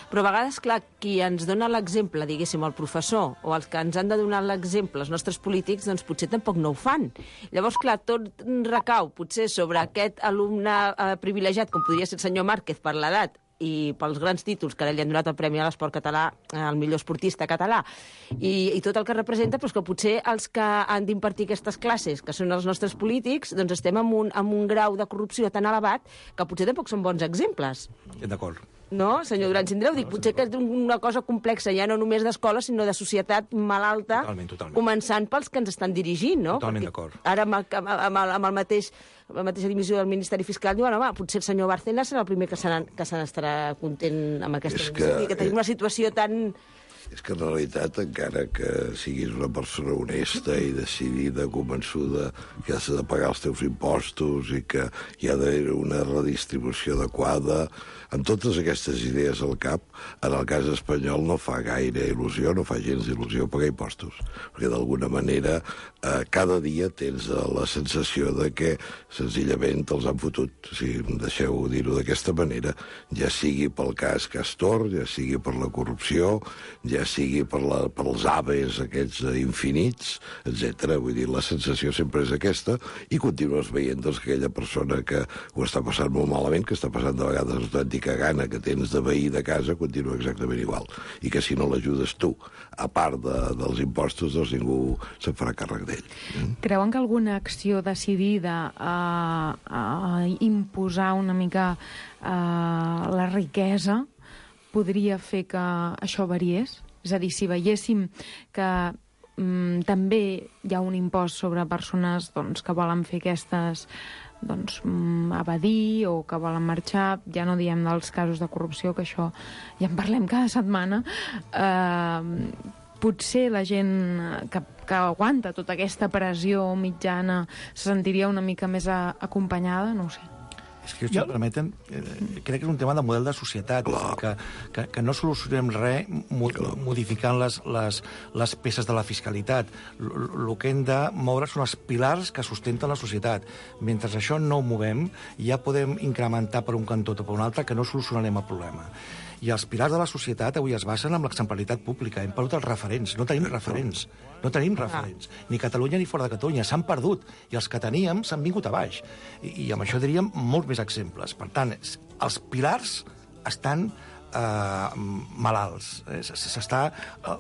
Però a vegades, clar, qui ens dona l'exemple, diguéssim, el professor, o els que ens han de donar l'exemple, els nostres polítics, doncs potser tampoc no ho fan. Llavors, clar, tot recau potser sobre aquest alumne eh, privilegiat, com podria ser el senyor Márquez per l'edat, i pels grans títols que ara li han donat el Premi a l'Esport Català, el millor esportista català, i, i tot el que representa, però és que potser els que han d'impartir aquestes classes, que són els nostres polítics, doncs estem en un, en un grau de corrupció tan elevat que potser tampoc són bons exemples. D'acord. No, senyor Duran Sindreu, dic, potser que és una cosa complexa, ja no només d'escola, sinó de societat malalta, totalment, totalment. Començant pels que ens estan dirigint, no? Totalment d'acord. Ara, amb el, amb el, amb el mateix, amb la mateixa dimissió del Ministeri Fiscal, diuen, home, potser el senyor Bárcenas serà el primer que se n'estarà content amb aquesta És dimissió. que- Que tenim una situació tan... És que en realitat, encara que siguis una persona honesta i decidida, convençuda que has de pagar els teus impostos i que hi ha d'haver una redistribució adequada, amb totes aquestes idees al cap, en el cas espanyol no fa gaire il·lusió, no fa gens d'il·lusió pagar impostos, perquè d'alguna manera eh, cada dia tens la sensació de que senzillament te'ls han fotut, si em deixeu dir-ho d'aquesta manera, ja sigui pel cas Castor, ja sigui per la corrupció, ja sigui per, la, per els aves aquests infinits, etcètera. Vull dir, la sensació sempre és aquesta, i continues veient doncs, que aquella persona que ho està passant molt malament, que està passant de vegades l'autèntica gana que tens de veí de casa, continua exactament igual. I que si no l'ajudes tu, a part de, dels impostos, doncs ningú se'n farà càrrec d'ell. Mm? Creuen que alguna acció decidida a, a imposar una mica a la riquesa podria fer que això variés? És a dir, si veiéssim que mm, també hi ha un impost sobre persones doncs, que volen fer aquestes doncs, mm, evadir o que volen marxar, ja no diem dels casos de corrupció, que això ja en parlem cada setmana, eh, potser la gent que, que aguanta tota aquesta pressió mitjana se sentiria una mica més a, acompanyada, no ho sé. És que, si em permeten, eh, crec que és un tema de model de societat, que, que, que no solucionem res mo modificant les, les, les peces de la fiscalitat. El que hem de moure són els pilars que sustenten la societat. Mentre això no ho movem, ja podem incrementar per un cantó o per un altre, que no solucionarem el problema. I els pilars de la societat avui es basen en l'exemplaritat pública. Hem perdut els referents. No tenim referents. No tenim referents. Ni Catalunya ni fora de Catalunya. S'han perdut. I els que teníem s'han vingut a baix. I, i amb això diríem molts més exemples. Per tant, els pilars estan eh, malalts. S'està,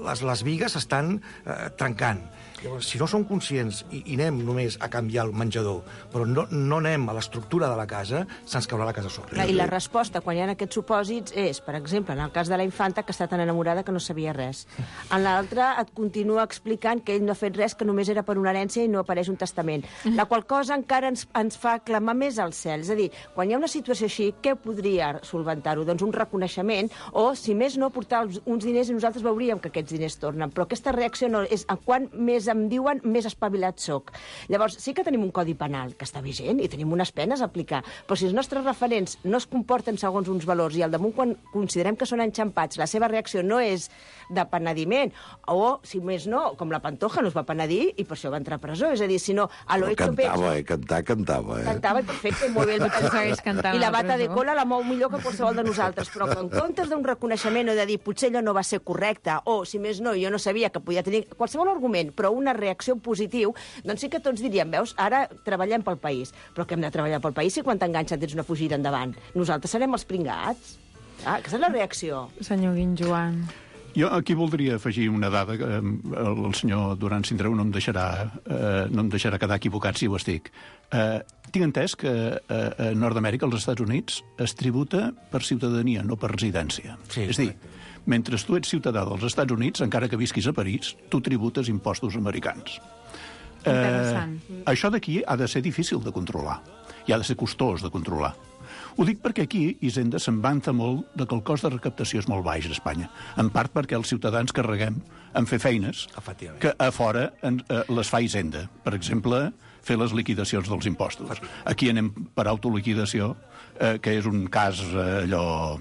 les, les vigues s'estan eh, trencant. Llavors, si no som conscients i, i anem només a canviar el menjador, però no, no anem a l'estructura de la casa, se'ns caurà la casa sobre. Clar, i la resposta, quan hi ha aquests supòsits, és, per exemple, en el cas de la infanta, que està tan enamorada que no sabia res. En l'altre et continua explicant que ell no ha fet res, que només era per una herència i no apareix un testament. La qual cosa encara ens, ens fa clamar més al cel. És a dir, quan hi ha una situació així, què podria solventar-ho? Doncs un reconeixement, o, si més no, portar uns diners i nosaltres veuríem que aquests diners tornen. Però aquesta reacció no és a quan més em diuen, més espavilat soc. Llavors, sí que tenim un codi penal que està vigent i tenim unes penes a aplicar, però si els nostres referents no es comporten segons uns valors i al damunt, quan considerem que són enxampats, la seva reacció no és de penediment, o, si més no, com la Pantoja no es va penedir i per això va entrar a presó. És a dir, si no, a lo hecho cantava, eh? Cantar, cantava, eh? Cantava, i perfecte, i molt bé. I la bata de cola la mou millor que qualsevol de nosaltres, però en comptes d'un reconeixement o de dir potser allò no va ser correcte, o, si més no, jo no sabia que podia tenir qualsevol argument, però una reacció positiu, doncs sí que tots diríem, veus, ara treballem pel país. Però que hem de treballar pel país si quan t'enganxen tens una fugida endavant? Nosaltres serem els pringats? Ah, aquesta és la reacció. Senyor Guinjoan. Jo aquí voldria afegir una dada que eh, el senyor Duran Sindreu no em deixarà, eh, no em deixarà quedar equivocat si ho estic. Eh, tinc entès que eh, a Nord-Amèrica, als Estats Units, es tributa per ciutadania, no per residència. Sí, és dir, mentre tu ets ciutadà dels Estats Units, encara que visquis a París, tu tributes impostos americans. Interessant. Eh, això d'aquí ha de ser difícil de controlar i ha de ser costós de controlar. Ho dic perquè aquí Hisenda se'n vanta molt de que el cost de recaptació és molt baix a Espanya, en part perquè els ciutadans carreguem en fer feines que a fora en, eh, les fa Hisenda. Per exemple, fer les liquidacions dels impostos. Aquí anem per autoliquidació, eh, que és un cas eh, allò...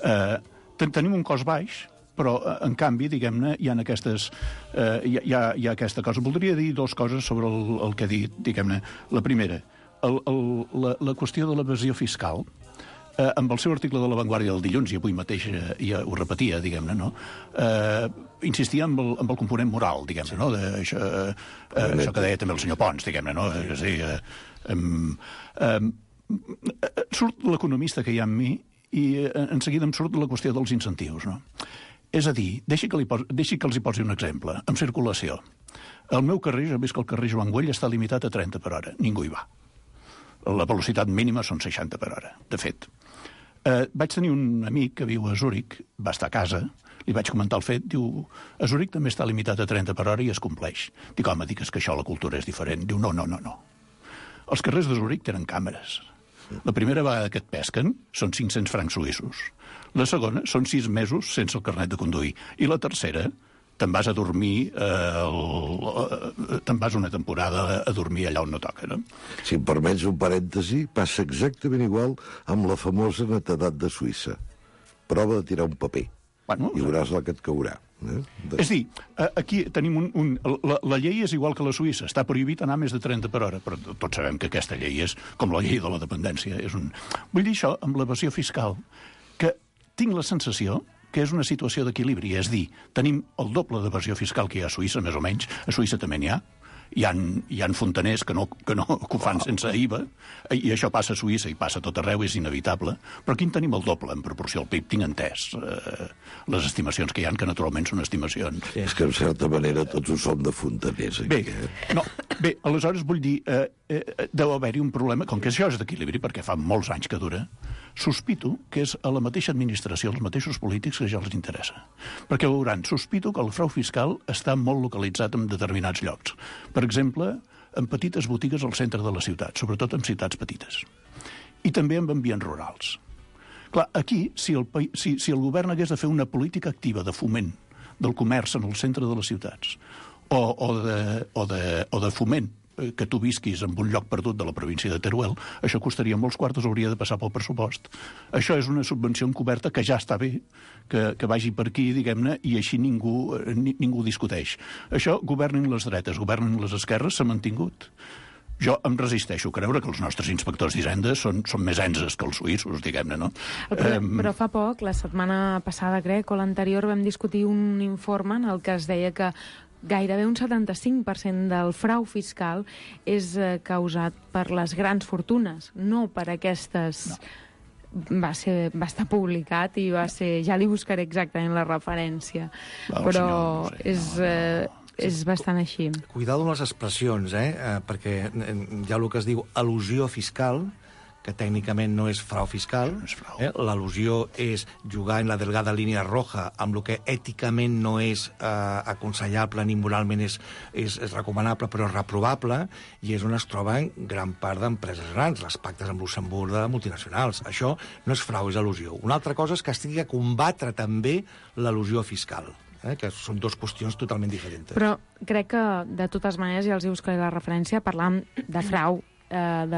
Eh, ten tenim un cost baix, però, en canvi, diguem-ne, hi ha aquestes... Eh, hi, ha, hi ha aquesta cosa. Voldria dir dues coses sobre el, el que he dit, diguem-ne. La primera, el, el, la, la qüestió de l'evasió fiscal, eh, amb el seu article de La Vanguardia del dilluns, i avui mateix eh, ja ho repetia, diguem-ne, no? Eh, insistia en el, en el component moral, diguem-ne, no? De, això, eh, eh, això que deia també el senyor Pons, diguem-ne, no? És a dir, eh, eh, eh, surt l'economista que hi ha en mi i eh, en seguida em surt la qüestió dels incentius, no? És a dir, deixi que, li pos, deixi que els hi posi un exemple. En circulació. El meu carrer, jo he vist que el carrer Joan Güell està limitat a trenta per hora. Ningú hi va. La velocitat mínima són seixanta per hora, de fet. Eh, vaig tenir un amic que viu a Zúrich, va estar a casa, li vaig comentar el fet, diu, a Zúrich també està limitat a trenta per hora i es compleix. Dic, home, dic, és que això la cultura és diferent. Diu, no, no, no, no. Els carrers de Zúrich tenen càmeres. La primera vegada que et pesquen són cinc-cents francs suïssos. La segona són sis mesos sense el carnet de conduir. I la tercera, te'n vas a dormir, eh, el, te'n vas una temporada a dormir allà on no toca, no? Si em permets un parèntesi, passa exactament igual amb la famosa netedat de Suïssa. Prova de tirar un paper. Bueno, i veuràs la que et caurà. Eh? De... És dir, aquí tenim un... un la, la llei és igual que la Suïssa. Està prohibit anar més de trenta per hora, però tots sabem que aquesta llei és com la llei de la dependència. És un... Vull dir això, amb l'evasió fiscal, que tinc la sensació que és una situació d'equilibri. És dir, tenim el doble d'evasió fiscal que hi ha a Suïssa, més o menys. A Suïssa també n'hi ha. Hi ha, hi ha fontaners que, no, que, no, que ho fan sense I V A, i això passa a Suïssa i passa a tot arreu, és inevitable. Però aquí en tenim el doble en proporció al P I B. Tinc entès eh, les estimacions que hi ha, que naturalment són estimacions. Sí. És que, en certa manera, tots ho som de fontaners. Aquí, bé, eh? no, bé, aleshores vull dir, eh, eh, deu haver-hi un problema, com que això és d'equilibri, perquè fa molts anys que dura, sospito que és a la mateixa administració, als mateixos polítics, que ja els interessa. Perquè veuran, sospito que el frau fiscal està molt localitzat en determinats llocs. Per exemple, en petites botigues al centre de la ciutat, sobretot en ciutats petites. I també en ambients rurals. Clar, aquí, si el, si, si el govern hagués de fer una política activa de foment del comerç en el centre de les ciutats, o, o, de, o, de, o de foment que tu visquis en un lloc perdut de la província de Teruel, això costaria molts quartos, hauria de passar pel pressupost. Això és una subvenció encoberta que ja està bé, que, que vagi per aquí, diguem-ne, i així ningú, ni, ningú discuteix. Això, governin les dretes, governin les esquerres, s'ha mantingut. Jo em resisteixo a creure que els nostres inspectors d'Hisenda són, són més enses que els suïssos, diguem-ne, no? Però, um... però fa poc, la setmana passada, crec, o l'anterior, vam discutir un informe en el que es deia que gairebé un setanta-cinc per cent del frau fiscal és eh, causat per les grans fortunes, no per aquestes... No. Va, ser, va estar publicat i va ser... Ja li buscaré exactament la referència. No, però senyor, no sé, és... No, no, no. És bastant així. Cuidado amb les expressions, eh? eh perquè hi ha el que es diu al·lusió fiscal, que tècnicament no és frau fiscal. No és frau. Eh? L'al·lusió és jugar en la delgada línia roja amb el que èticament no és eh, aconsellable ni moralment és, és, és recomanable, però és reprovable, i és on es troben gran part d'empreses grans, les pactes amb Luxemburg de multinacionals. Això no és frau, és al·lusió. Una altra cosa és que es tingui a combatre també l'al·lusió fiscal. Eh, que són dues qüestions totalment diferents. Però crec que, de totes maneres, ja els hi buscaré la referència, parlant de frau, eh,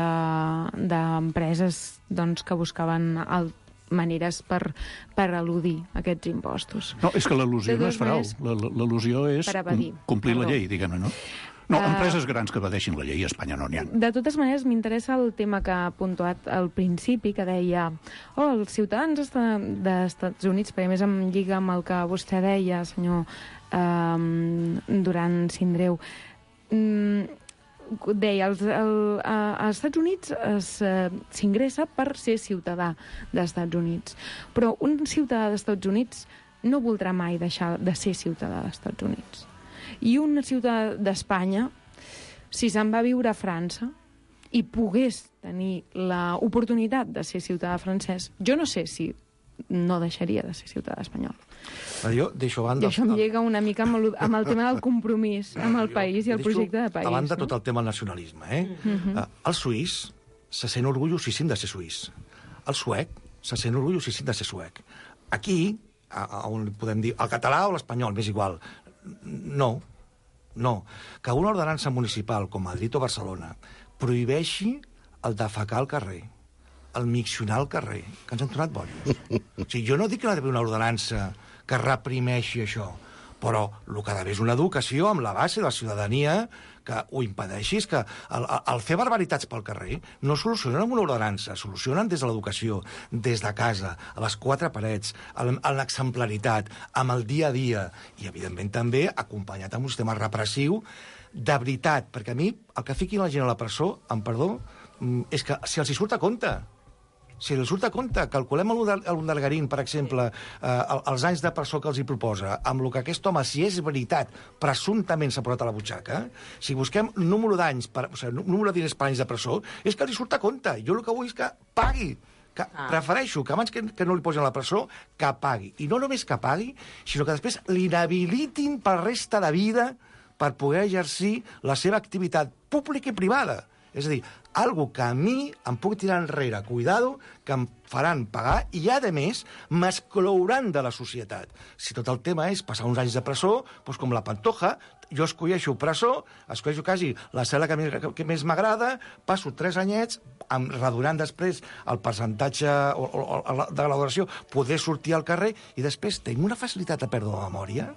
d'empreses de, doncs, que buscaven el, maneres per, per eludir aquests impostos. No, és que l'al·lusió no és frau. L'al·lusió és com, complir Perdó. la llei, diguem-ne, no? No, empreses grans que evadeixin la llei a Espanya no n'hi ha. De totes maneres, m'interessa el tema que ha puntuat al principi, que deia oh, els ciutadans dels Estats Units, perquè més em lliga amb el que vostè deia, senyor eh, Duran Sindreu, mm, deia, els, el, a, als Estats Units s'ingressa per ser ciutadà dels Estats Units, però un ciutadà dels Estats Units no voldrà mai deixar de ser ciutadà dels Estats Units. I un ciutadà d'Espanya, si se'n va viure a França i pogués tenir l'oportunitat de ser ciutadà francès, jo no sé si no deixaria de ser ciutadà espanyol. Jo deixo a banda... I això em llega una mica amb el, amb el tema del compromís amb el país i el projecte de país. A banda no? tot el tema del nacionalisme. Eh? Uh-huh. El suís se sent orgullosíssim de ser suís. El suec se sent orgullosíssim de ser suec. Aquí, on podem dir el català o l'espanyol, m'és igual. No, no. Que una ordenança municipal com Madrid o Barcelona prohibeixi el defecar al carrer, el miccionar al carrer, que ens han tornat bojos. O sigui, jo no dic que no hi ha d'haver una ordenança que reprimeixi això. Però el que ha d'haver és una educació amb la base de la ciutadania que ho impedeixi. És que el, el fer barbaritats pel carrer no solucionen amb una ordenança, solucionen des de l'educació, des de casa, a les quatre parets, amb l'exemplaritat, amb el dia a dia, i evidentment també acompanyat amb un sistema repressiu de veritat, perquè a mi el que fiquin la gent a la presó, amb perdó, és que si els hi surt a compte. Si els surt a compte, calculem l'Undargarín, per exemple, eh, els anys de presó que els hi proposa, amb el que aquest home, si és veritat, presumptament s'ha posat a la butxaca, si busquem número d'anys, per, o sigui, número de diners per anys de presó, és que li surt a compte. Jo el que vull és que pagui. Que ah. Prefereixo que abans que, que no li posin a la presó, que pagui. I no només que pagui, sinó que després l'inhabilitin per resta de vida per poder exercir la seva activitat pública i privada. És a dir, algo que a mi em puc tirar enrere, cuidado, que em faran pagar i, a més, m'exclouran de la societat. Si tot el tema és passar uns anys de presó, doncs com la Pantoja, jo escolleixo presó, escolleixo quasi la cel·la que, que més m'agrada, passo tres anyets, em redonant després el percentatge o, o, o, de la duració, poder sortir al carrer, i després tinc una facilitat de pèrdua de memòria.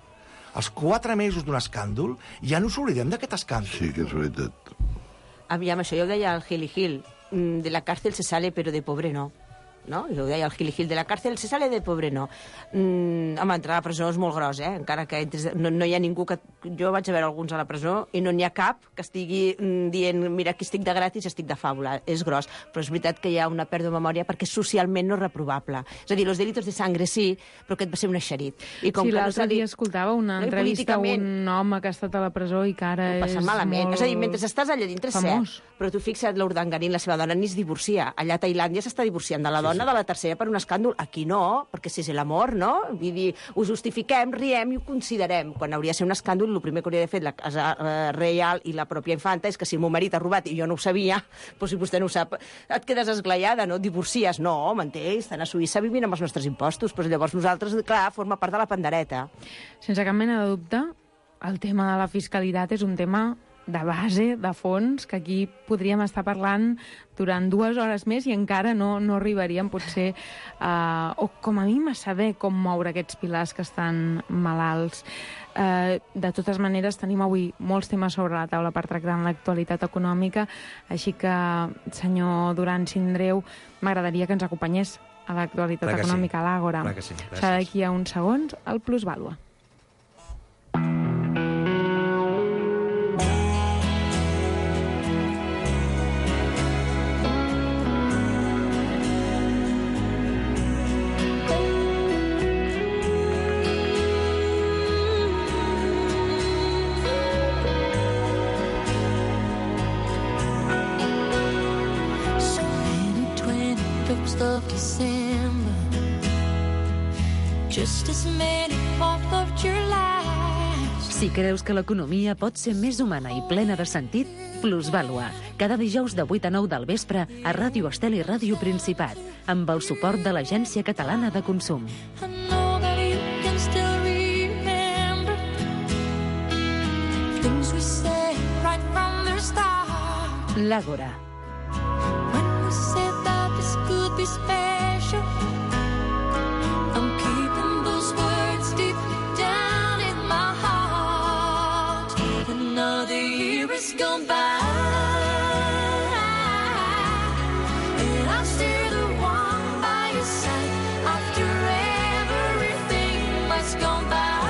Els quatre mesos d'un escàndol, ja no us oblidem d'aquest escàndol. Sí, que és veritat. Aviam, això jo ho deia al Gil i Gil. De la càrcel se sale, però de pobre no. No? Jo ho deia al Gil i Gil, de la càrcel se sale, de pobre no. Mm, home, entrar a la presó és molt gros, eh? Encara que entres, no, no hi ha ningú que... Jo vaig a veure alguns a la presó i no n'hi ha cap que estigui mm, dient mira, aquí estic de gratis, estic de fàbula. És gros, però és veritat que hi ha una pèrdua de memòria perquè socialment no és reprovable. És a dir, los delitos de sangre sí, però aquest va ser un eixerit. I com sí, l'altre no dia escoltava una no, entrevista a un home que ha estat a la presó i que ara és malament. molt És a dir, mentre estàs allà dintre, famós. Cert, però tu fixa't, l'Urdangarín, la seva dona, ni es divorcia. Allà a Tailàndia s'està divorciant de la dona sí, sí. de la tercera per un escàndol. Aquí no, perquè si és l'amor, no? Vull dir, ho justifiquem, riem i ho considerem. Quan hauria de ser un escàndol, el primer que hauria de fer la Casa eh, Reial i la pròpia infanta és que si el meu marit ha robat i jo no ho sabia, doncs si vostè no ho sap, et quedes esglaiada, no? Et divorcies. No, m'entens? Estan a Suïssa vivint amb els nostres impostos, però llavors nosaltres, clar, forma part de la pandereta. Sense cap mena de dubte, el tema de la fiscalitat és un tema de base, de fons, que aquí podríem estar parlant durant dues hores més i encara no, no arribaríem, potser, uh, o com a mínim a saber com moure aquests pilars que estan malalts. Uh, de totes maneres, tenim avui molts temes sobre la taula per tractar en l'actualitat econòmica, així que, senyor Duran Sindreu, m'agradaria que ens acompanyés a l'actualitat econòmica, sí. A l'Àgora. Sí. Serà d'aquí a uns segons, el Plusvàlua. Of December, just as many fourth of July. Si creus que l'economia pot ser més humana i plena de sentit, Plusvàlua, cada dijous de vuit a nou del vespre a Ràdio Estel i Ràdio Principat, amb el suport de l'Agència Catalana de Consum. I know that you can still remember things we said right from the start. L'Àgora. When we said that this could be special, I'm keeping those words deep down in my heart. Another year has gone by, and I'm still the one by your side after everything that's gone by.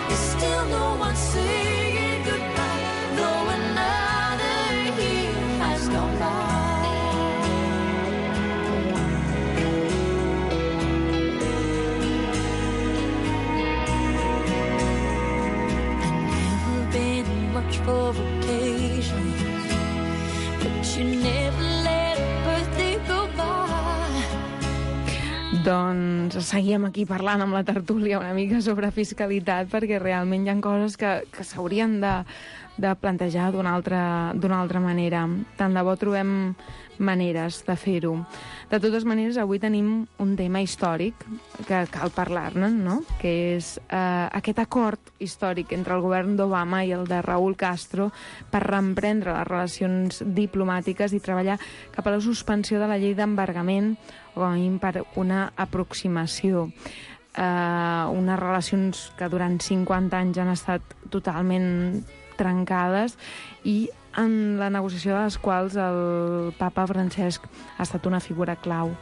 There's still no one saying goodbye, no another year has gone by. Much for vacations, but you never let a birthday go by. Doncs seguíem aquí parlant amb la tertúlia una mica sobre fiscalitat, perquè realment hi ha coses que, que s'haurien de, de plantejar d'una altra, d'una altra manera. Tant de bo trobem maneres de fer-ho. De totes maneres, avui tenim un tema històric que cal parlar-ne, no? Que és eh, aquest acord històric entre el govern d'Obama i el de Raúl Castro per reemprendre les relacions diplomàtiques i treballar cap a la suspensió de la llei d'embargament o com a mínim per una aproximació. Eh, unes relacions que durant cinquanta anys han estat totalment trencades i en la negociació de les quals el papa Francesc ha estat una figura clau.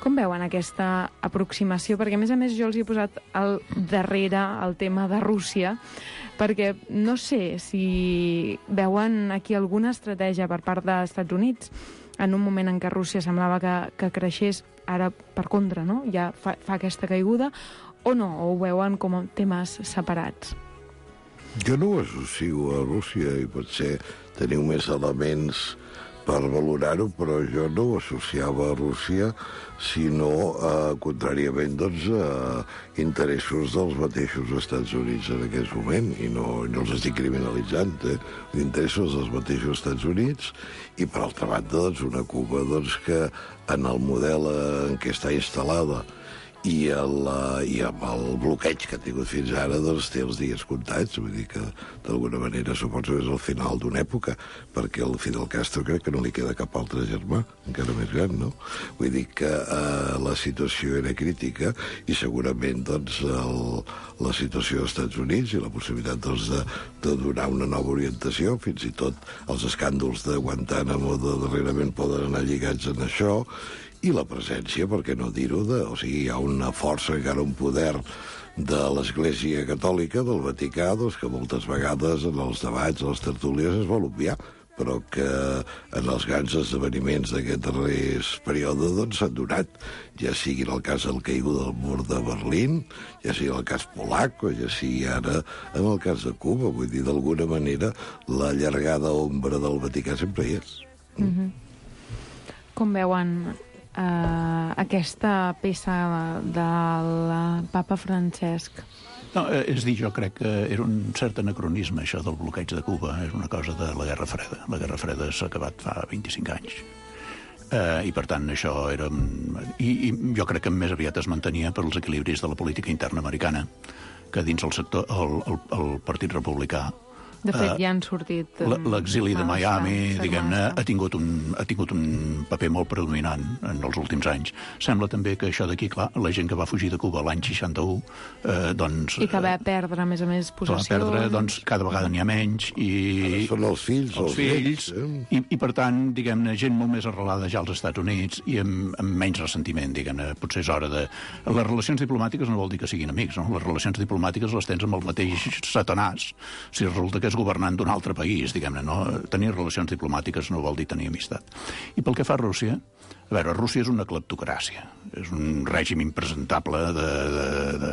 Com veuen aquesta aproximació? Perquè, a més a més, jo els hi he posat al darrere el tema de Rússia, perquè no sé si veuen aquí alguna estratègia per part dels Estats Units en un moment en què Rússia semblava que, que creixés, ara per contra, no? Ja fa, fa aquesta caiguda, o no? O ho veuen com a temes separats? Jo no ho associo a Rússia i potser teniu més elements per valorar-ho, però jo no ho associava a Rússia, sinó, eh, contràriament, doncs, a interessos dels mateixos Estats Units en aquest moment, i no, no els estic criminalitzant, eh? Interessos dels mateixos Estats Units, i per altra banda, doncs, una Cuba doncs, que en el model en què està instal·lada i, el, i amb el bloqueig que ha tingut fins ara, doncs té els dies comptats. Vull dir que, d'alguna manera, suposo que és el final d'una època, perquè el Fidel Castro crec que no li queda cap altre germà, encara més gran, no? Vull dir que eh, la situació era crítica i segurament, doncs, el, la situació dels Estats Units i la possibilitat, doncs, de, de donar una nova orientació, fins i tot els escàndols de Guantánamo de darrerament poden anar lligats en això, i la presència, per què no dir-ho, de, o sigui, hi ha una força, encara un poder de l'Església Catòlica, del Vaticà, doncs, que moltes vegades en els debats, a les tertúlies, es vol obviar, però que en els grans esdeveniments d'aquest darrer període doncs s'han donat, ja sigui en el cas del caiguda del mur de Berlín, ja sigui en el cas polac, o ja sigui ara en el cas de Cuba. Vull dir, d'alguna manera, la llargada ombra del Vaticà sempre hi és. Mm-hmm. Com veuen Uh, aquesta peça del papa Francesc? No, és dir, jo crec que era un cert anacronisme, això del bloqueig de Cuba. És una cosa de la Guerra Freda. La Guerra Freda s'ha acabat fa vint-i-cinc anys. Uh, I, per tant, això era... I, I jo crec que més aviat es mantenia per als equilibris de la política interna americana, que dins el sector, el, el, el Partit Republicà, de fet, ja han sortit... L'exili de Miami, diguem-ne, ha tingut un, ha tingut un paper molt predominant en els últims anys. Sembla també que això d'aquí, clar, la gent que va fugir de Cuba l'any seixanta-u, eh, doncs... I que va perdre, a més a més, possessions... Que va perdre, doncs, cada vegada n'hi ha menys, i... Ara són els fills, els, els fills, eh? i, i, per tant, diguem-ne, gent molt més arrelada ja als Estats Units i amb, amb menys ressentiment, diguem-ne. Potser és hora de... Les relacions diplomàtiques no vol dir que siguin amics, no? Les relacions diplomàtiques les tens amb el mateix satanàs, si resulta que és governant d'un altre país, diguem-ne, no? Tenir relacions diplomàtiques no vol dir tenir amistat. I pel que fa a Rússia, a veure, Rússia és una cleptocràcia, és un règim impresentable de, de, de,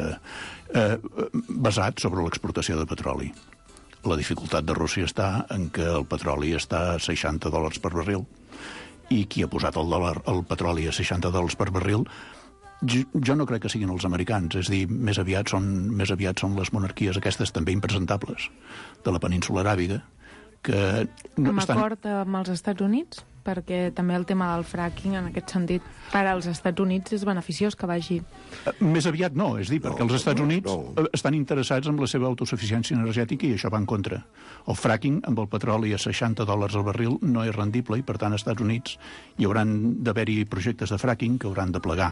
eh, basat sobre l'exportació de petroli. La dificultat de Rússia està en que el petroli està a seixanta dòlars per barril, i qui ha posat el, dòlar, el petroli a seixanta dòlars per barril jo no crec que siguin els americans, és a dir, més aviat són, més aviat són les monarquies aquestes també impresentables de la península aràbiga, que... No amb estan... acord amb els Estats Units? Perquè també el tema del fracking, en aquest sentit, per als Estats Units és beneficiós que vagi... Més aviat no, és dir, perquè no, els Estats Units no, no. estan interessats en la seva autosuficiència energètica i això va en contra. El fracking, amb el petroli a seixanta dòlars al barril, no és rendible i, per tant, als Estats Units hi hauran d'haver-hi projectes de fracking que hauran de plegar.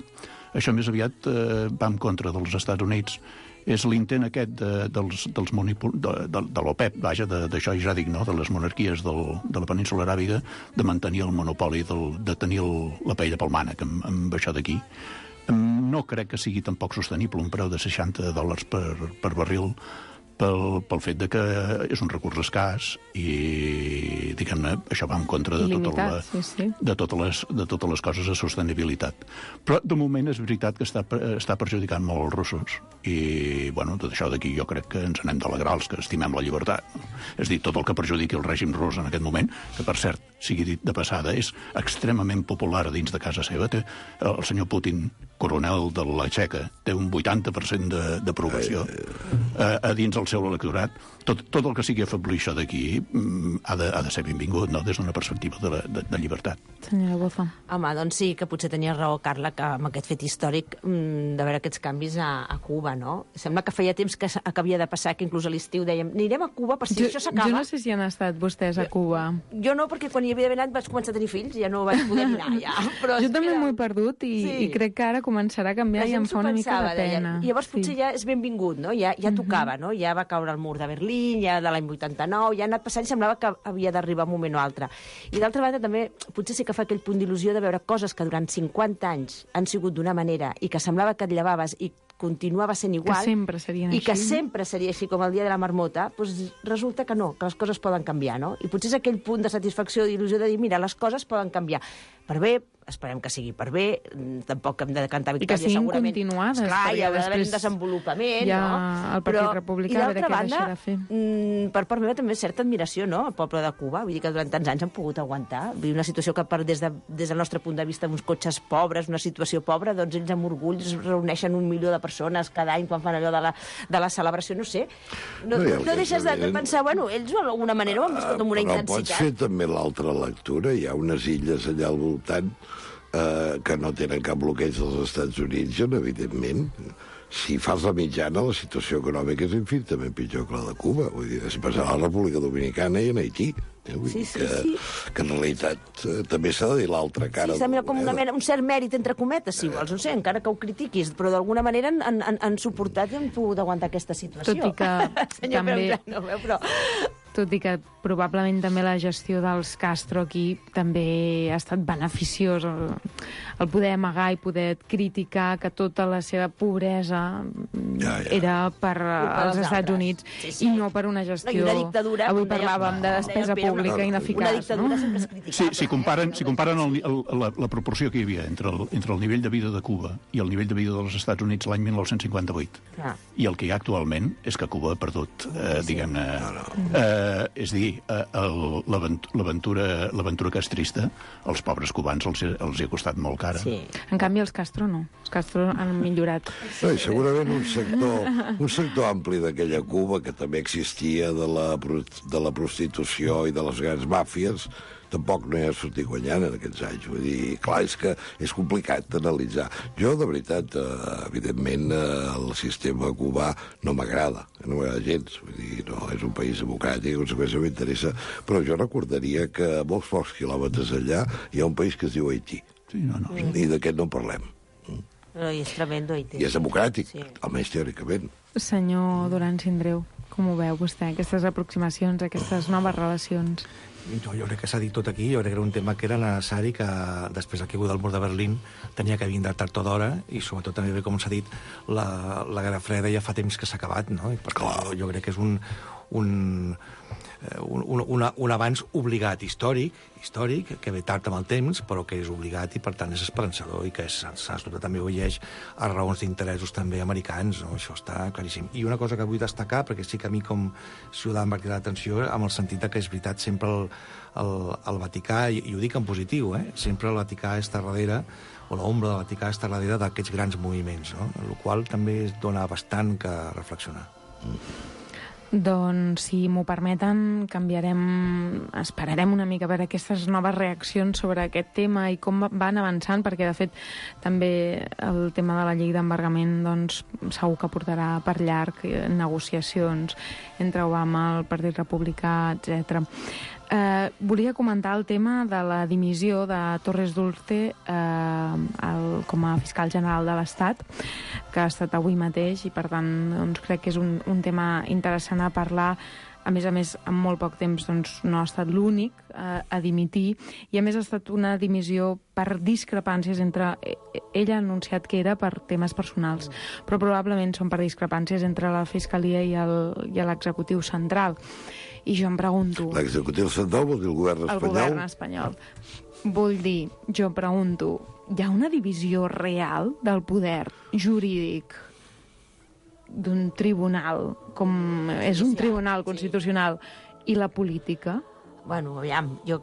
Això més aviat eh, va en contra dels Estats Units. És l'intent aquest de, dels, dels monipol... de, de, de l'OPEP, vaja, d'això ja dic, no?, de les monarquies del, de la península aràbiga, de mantenir el monopoli, del, de tenir el, la paella pel mànec amb, amb això d'aquí. No crec que sigui tampoc sostenible un preu de seixanta dòlars per, per barril, pel, pel fet de que és un recurs escàs i, diguem-ne, això va en contra de, tota la, sí, sí. de, totes les, de totes les coses de sostenibilitat. Però, de moment, és veritat que està, està perjudicant molt els russos. I, bueno, tot això d'aquí jo crec que ens anem d'alegrar els que estimem la llibertat. És dir, tot el que perjudiqui el règim rus en aquest moment, que, per cert, sigui dit de passada, és extremament popular dins de casa seva. Té el senyor Putin, coronel de la Txeca, té un vuitanta per cent d'aprovació. a, a dins el seu electorat, tot, tot el que sigui afeblir això d'aquí ha, de, ha de ser benvingut, no?, des d'una perspectiva de, la, de, de llibertat. Senyora Bofa. Home, doncs sí, que potser tenia raó, Carla, que amb aquest fet històric de veure aquests canvis a, a Cuba, no? Sembla que feia temps que, que havia de passar, que inclús a l'estiu dèiem, anirem a Cuba per si jo, això s'acaba. Jo no sé si han estat vostès a Cuba. Jo, jo no, perquè quan hi havia d'haver anat vaig començar a tenir fills, ja no vaig poder mirar, ja. Però jo també m'ho he perdut i, sí. i crec que ara començarà a canviar i em fa una pensava, mica de pena. Deia. I llavors potser sí. ja és benvingut, no? Ja, ja tocava, no? Ja va caure el mur de Berlín, ja de l'any vuitanta-nou, ja ha anat passant i semblava que havia d'arribar un moment o altre. I d'altra banda també potser sí que fa aquell punt d'il·lusió de veure coses que durant cinquanta anys han sigut d'una manera i que semblava que et llevaves i continuava sent igual, que sempre serien i així, que sempre seria així com el dia de la marmota, doncs resulta que no, que les coses poden canviar, no? I potser és aquell punt de satisfacció, d'il·lusió de dir, mira, les coses poden canviar. Per bé, esperem que sigui per bé, tampoc hem de cantar victòria, segurament. I que siguin segurament. continuades. Esclar, hi ha d'haver un desenvolupament, ja no? El Partit Però, Republicà, a veure què banda, deixa de fer. Mm, per part meva també certa admiració, no?, al poble de Cuba. Vull dir que durant tants anys han pogut aguantar. Vull dir, una situació que per, des, de, des del nostre punt de vista, uns cotxes pobres, una situació pobra, doncs ells amb orgull es reuneixen un milió de persones cada any quan fan allò de la, de la celebració, no sé. No, no, no deixes de, de pensar, bueno, ells d'alguna manera ho han viscut amb una Però intensitat. pots fer també l'altra lectura. Hi ha unes illes allà al voltant eh, que no tenen cap bloqueig dels Estats Units, on, evidentment, si fas la mitjana, la situació econòmica és infinitament pitjor que la de Cuba. Vull dir, es passa a la República Dominicana i en Haití. Eh? Vull sí, dir sí, que, sí. que en realitat eh, també s'ha de dir l'altra cara. Sí, sembla com una mena, un cert mèrit, entre cometes, si vols, no sé, encara que ho critiquis, però d'alguna manera han, han, han suportat i han pogut aguantar aquesta situació. Tot i que Senyor també... Pérez, no veu, però... Tot i que probablement també la gestió dels Castro aquí també ha estat beneficiós, el, el poder amagar i poder criticar que tota la seva pobresa ja, ja. era per als Estats altres. Units sí, sí. i no per una gestió... No, una dictadura, avui parlàvem de despesa pública una, ineficaç. Una dictadura no? sempre és criticable. Sí, si comparen, si comparen el, el, la, la proporció que hi havia entre el, entre el nivell de vida de Cuba i el nivell de vida dels Estats Units l'any mil nou-cents cinquanta-vuit ah. i el que hi ha actualment és que Cuba ha perdut, eh, sí. diguem-ne... No, no. Eh, és a dir, l'aventura castrista, als pobres cubans els, els hi ha costat molt cara. Sí. En canvi, els Castro no. Els Castro han millorat. No, i segurament un sector, un sector ampli d'aquella Cuba, que també existia de la, de la prostitució i de les grans màfies, tampoc no hi ha sortit guanyant en aquests anys. Vull dir, clar, és que és complicat d'analitzar. Jo, de veritat, eh, evidentment, eh, el sistema cubà no m'agrada, no m'agrada gens. Vull dir, no, és un país democràtic, en conseqüència m'interessa, però jo recordaria que a molts pocs quilòmetres allà hi ha un país que es diu Haití. Sí, no, no. I d'aquest no en parlem. No, i és tremendo, Haití. I és democràtic, sí. almenys teòricament. Senyor Duran Sindreu, com ho veu vostè, aquestes aproximacions, aquestes noves relacions? Jo, jo crec que s'ha dit tot aquí, jo crec que era un tema que era necessari, que després del caigut del mur de Berlín tenia que vindre tard o d'hora, i sobretot també, com s'ha dit, la, la Guerra Freda ja fa temps que s'ha acabat, no? I per tant, jo, jo crec que és un, un, un, un, un avanç obligat, històric, històric, que ve tard amb el temps, però que és obligat i, per tant, és esperançador i que s'ha també obeeix a raons d'interessos també americans, no? Això està claríssim. I una cosa que vull destacar, perquè sí que a mi com ciutadà em va cridar l'atenció, amb el sentit que és veritat, sempre el, el, el Vaticà, i, i ho dic en positiu, eh? sempre el Vaticà està darrere, o l'ombra del Vaticà està darrere d'aquests grans moviments, no? El qual també dona bastant que reflexionar. Mm. Doncs, si m'ho permeten, canviarem, esperarem una mica per aquestes noves reaccions sobre aquest tema i com van avançant, perquè, de fet, també el tema de la llei d'embargament, doncs, segur que portarà per llarg negociacions entre Obama, el Partit Republicà, etcètera. Eh, volia comentar el tema de la dimissió de Torres Dulce eh, el, com a fiscal general de l'Estat, que ha estat avui mateix, i per tant doncs, crec que és un, un tema interessant a parlar. A més a més, en molt poc temps doncs, no ha estat l'únic eh, a dimitir, i a més ha estat una dimissió per discrepàncies entre... Ella ha anunciat que era per temes personals, però probablement són per discrepàncies entre la Fiscalia i l'executiu central. I jo em pregunto... L'executiu central vol dir el govern espanyol? El govern espanyol. Vull dir, jo pregunto, hi ha una divisió real del poder jurídic d'un tribunal, com és un tribunal constitucional, i la política? Bueno, aviam, jo,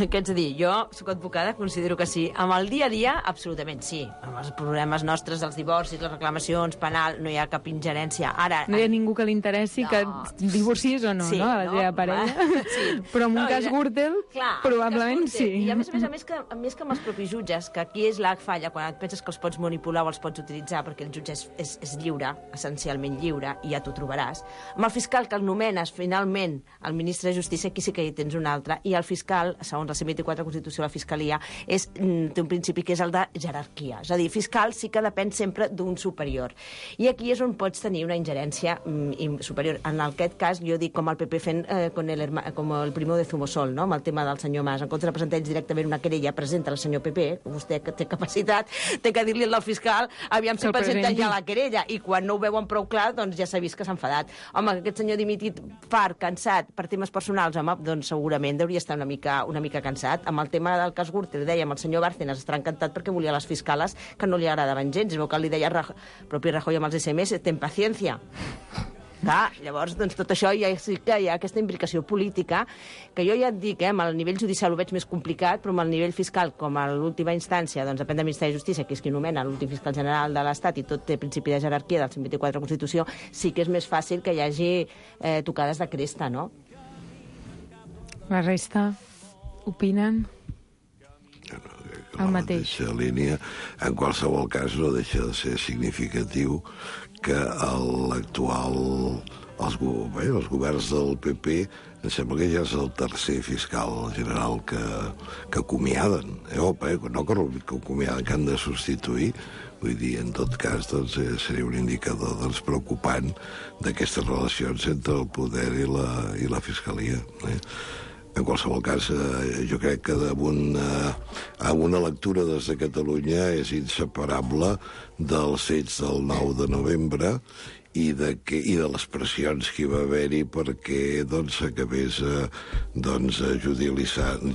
què ets a dir? Jo sóc advocada, considero que sí. Amb el dia a dia, absolutament sí. Amb els problemes nostres, els divorcis, les reclamacions, penal, no hi ha cap ingerència. Ara, no hi ha ningú que li interessi no. que divorcis o no, sí, no, a la no? teva parella. Sí. Però en un no, cas Gürtel, clar, probablement cas Gürtel. sí. I a més a més, a més, que, a més que amb els propis jutges, que aquí és la falla, quan et penses que els pots manipular o els pots utilitzar, perquè el jutge és, és, és lliure, essencialment lliure, i ja t'ho trobaràs. Amb el fiscal que el nomenes, finalment, el ministre de Justícia, aquí sí que hi tens un altre, i el fiscal, segons la cent vint-i-quatre Constitució de la Fiscalia, és, té un principi que és el de jerarquia. És a dir, fiscal sí que depèn sempre d'un superior. I aquí és on pots tenir una ingerència mm, superior. En aquest cas, jo dic com el P P fent eh, com, el, com el Primo de Zumosol, no? Amb el tema del senyor Mas. En comptes de presentar ells directament una querella, presenta el senyor P P, vostè que té capacitat, té que dir-li al fiscal, aviam si presenta ja la querella, i quan no ho veuen prou clar, doncs ja s'ha vist que s'ha enfadat. Home, aquest senyor dimitit, fart, cansat, per temes personals, home, doncs segurament hauria estar una mica, una mica cansat. Amb el tema del cas Gürtel, dèiem, el senyor Bárcenas estarà encantat perquè volia les fiscales que no li agradaven gens. Es veu que li deia Rajoy, propi Rajoy amb els S M S, ten paciència. Clar, llavors, doncs, tot això ja sí que hi ha aquesta implicació política, que jo ja et dic, eh, amb el nivell judicial ho veig més complicat, però amb el nivell fiscal, com a l'última instància, doncs depèn del Ministeri de Justícia, que és qui nomena l'últim fiscal general de l'Estat, i tot té principi de jerarquia del cent vint-i-quatre Constitució, sí que és més fàcil que hi hagi eh, tocades de cresta, no? La resta opinen el mateix. La línia, en qualsevol cas, no deixa de ser significatiu que l'actual, els, bé, els governs del P P, em sembla que ja és el tercer fiscal general que, que acomiaden. Eh? Opa, eh? No que, que acomiaden, que han de substituir. Vull dir, en tot cas, doncs, eh, seria un indicador doncs, preocupant d'aquestes relacions entre el poder i la, i la fiscalia. Eh? En qualsevol cas, eh, jo crec que una, una lectura des de Catalunya és inseparable dels fets del nou de novembre i de, que, i de les pressions que hi va haver-hi perquè doncs, s'acabés eh, doncs, judicialitzant,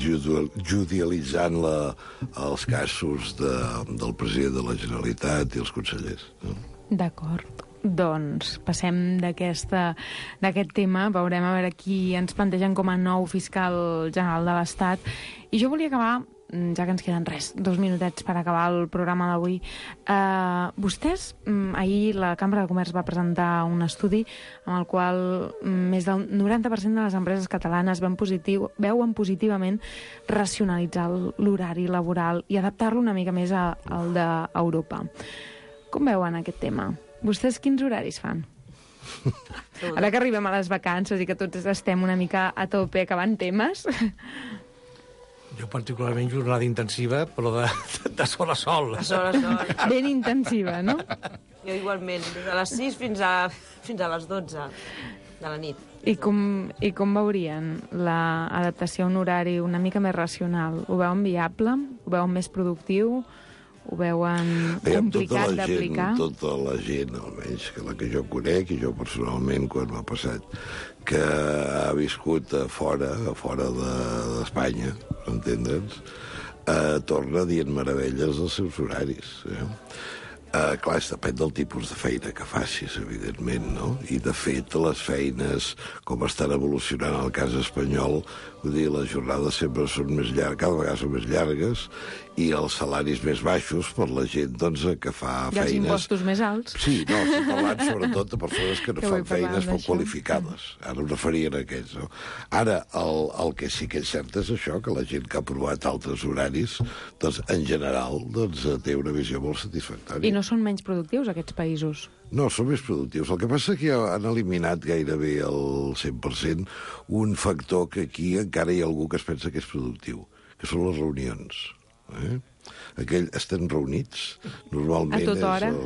judicialitzant la, els casos de, del president de la Generalitat i els consellers. No? D'acord. Doncs passem d'aquest tema, veurem a veure qui ens plantegen com a nou fiscal general de l'Estat. I jo volia acabar, ja que ens queden res, dos minutets per acabar el programa d'avui. Uh, vostès, um, ahir la Cambra de Comerç va presentar un estudi amb el qual um, més del noranta per cent de les empreses catalanes veuen, positiu, veuen positivament racionalitzar l'horari laboral i adaptar-lo una mica més a, al d'Europa. Com veuen aquest tema? Vostès quins horaris fan? Ara que arribem a les vacances i que tots estem una mica a tope acabant temes... Jo particularment jornada intensiva, però de, de sol a sol. De sol a sol. Ben intensiva, no? Jo igualment, des de les sis fins a, fins a les dotze de la nit. I com, I com veurien l'adaptació a un horari una mica més racional? Ho veuen viable? Ho veuen més productiu? Ho veuen complicat d'aplicar? Tota la gent, almenys, que la que jo conec, i jo personalment, quan m'ha passat, que ha viscut a fora, a fora d'Espanya, de, per entendre'ns, eh, torna dient meravelles dels seus horaris. Eh? Uh, clar, depèn del tipus de feina que facis, evidentment, no? I, de fet, les feines, com estan evolucionant al cas espanyol, vull dir, les jornades sempre són més llargues, cada vegada són més llargues, i els salaris més baixos per la gent, doncs, que fa I feines... I els impostos més alts. Sí, no, estic parlant sobretot de persones que no que fan feines poc qualificades. Ara em referia a aquests, no? Ara, el, el que sí que és cert és això, que la gent que ha provat altres horaris, doncs, en general, doncs, té una visió molt satisfactòria. I no són menys productius, aquests països? No, són més productius. El que passa és que han eliminat gairebé el cent per cent un factor que aquí encara hi ha algú que es pensa que és productiu, que són les reunions. Eh? Aquell, estem reunits, normalment és el,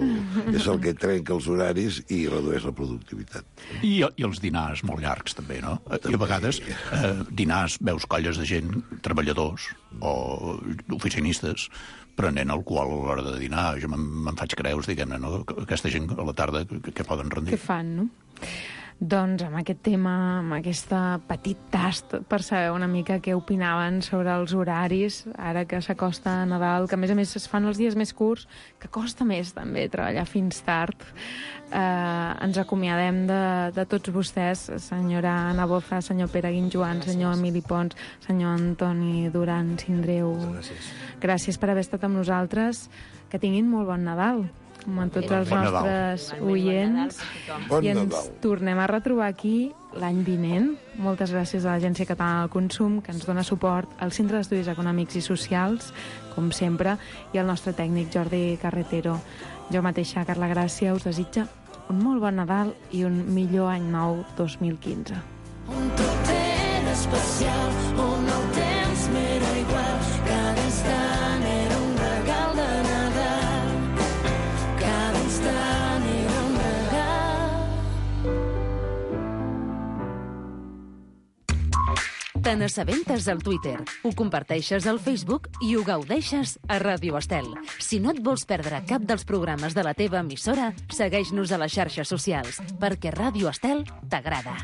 és el que trenca els horaris i redueix la productivitat. I, i els dinars molt llargs, també, no? També. I a vegades, eh, dinars, veus colles de gent, treballadors o oficinistes, prenent alcohol a l'hora de dinar. Jo me'n faig creus, diguem-ne, no? Aquesta gent a la tarda, què poden rendir? Què fan, no? Doncs amb aquest tema, amb aquest petit tast per saber una mica què opinaven sobre els horaris, ara que s'acosta Nadal, que a més a més es fan els dies més curts, que costa més també treballar fins tard. Eh, ens acomiadem de, de tots vostès, senyora Anna Boza, senyor Pere Guinjoan, senyor Emili Pons, senyor Antoni Duran Sindreu. Gràcies. Gràcies per haver estat amb nosaltres. Que tinguin molt bon Nadal, com a tots els Bon nostres oients. Bon I ens Nadal. tornem a retrobar aquí l'any vinent. Moltes gràcies a l'Agència Catalana del Consum, que ens dona suport, al Centre d'Estudis Econòmics i Socials, com sempre, i al nostre tècnic Jordi Carretero. Jo mateixa, Carla Gràcia, us desitja un molt bon Nadal i un millor any nou dos mil quinze. On tot era especial, on el temps m'era igual, cada instant era un regal de Nadal, cada instant era un regal. Te n'assabentes al Twitter, ho comparteixes al Facebook i ho gaudeixes a Ràdio Estel. Si no et vols perdre cap dels programes de la teva emissora, segueix-nos a les xarxes socials, perquè Ràdio Estel t'agrada.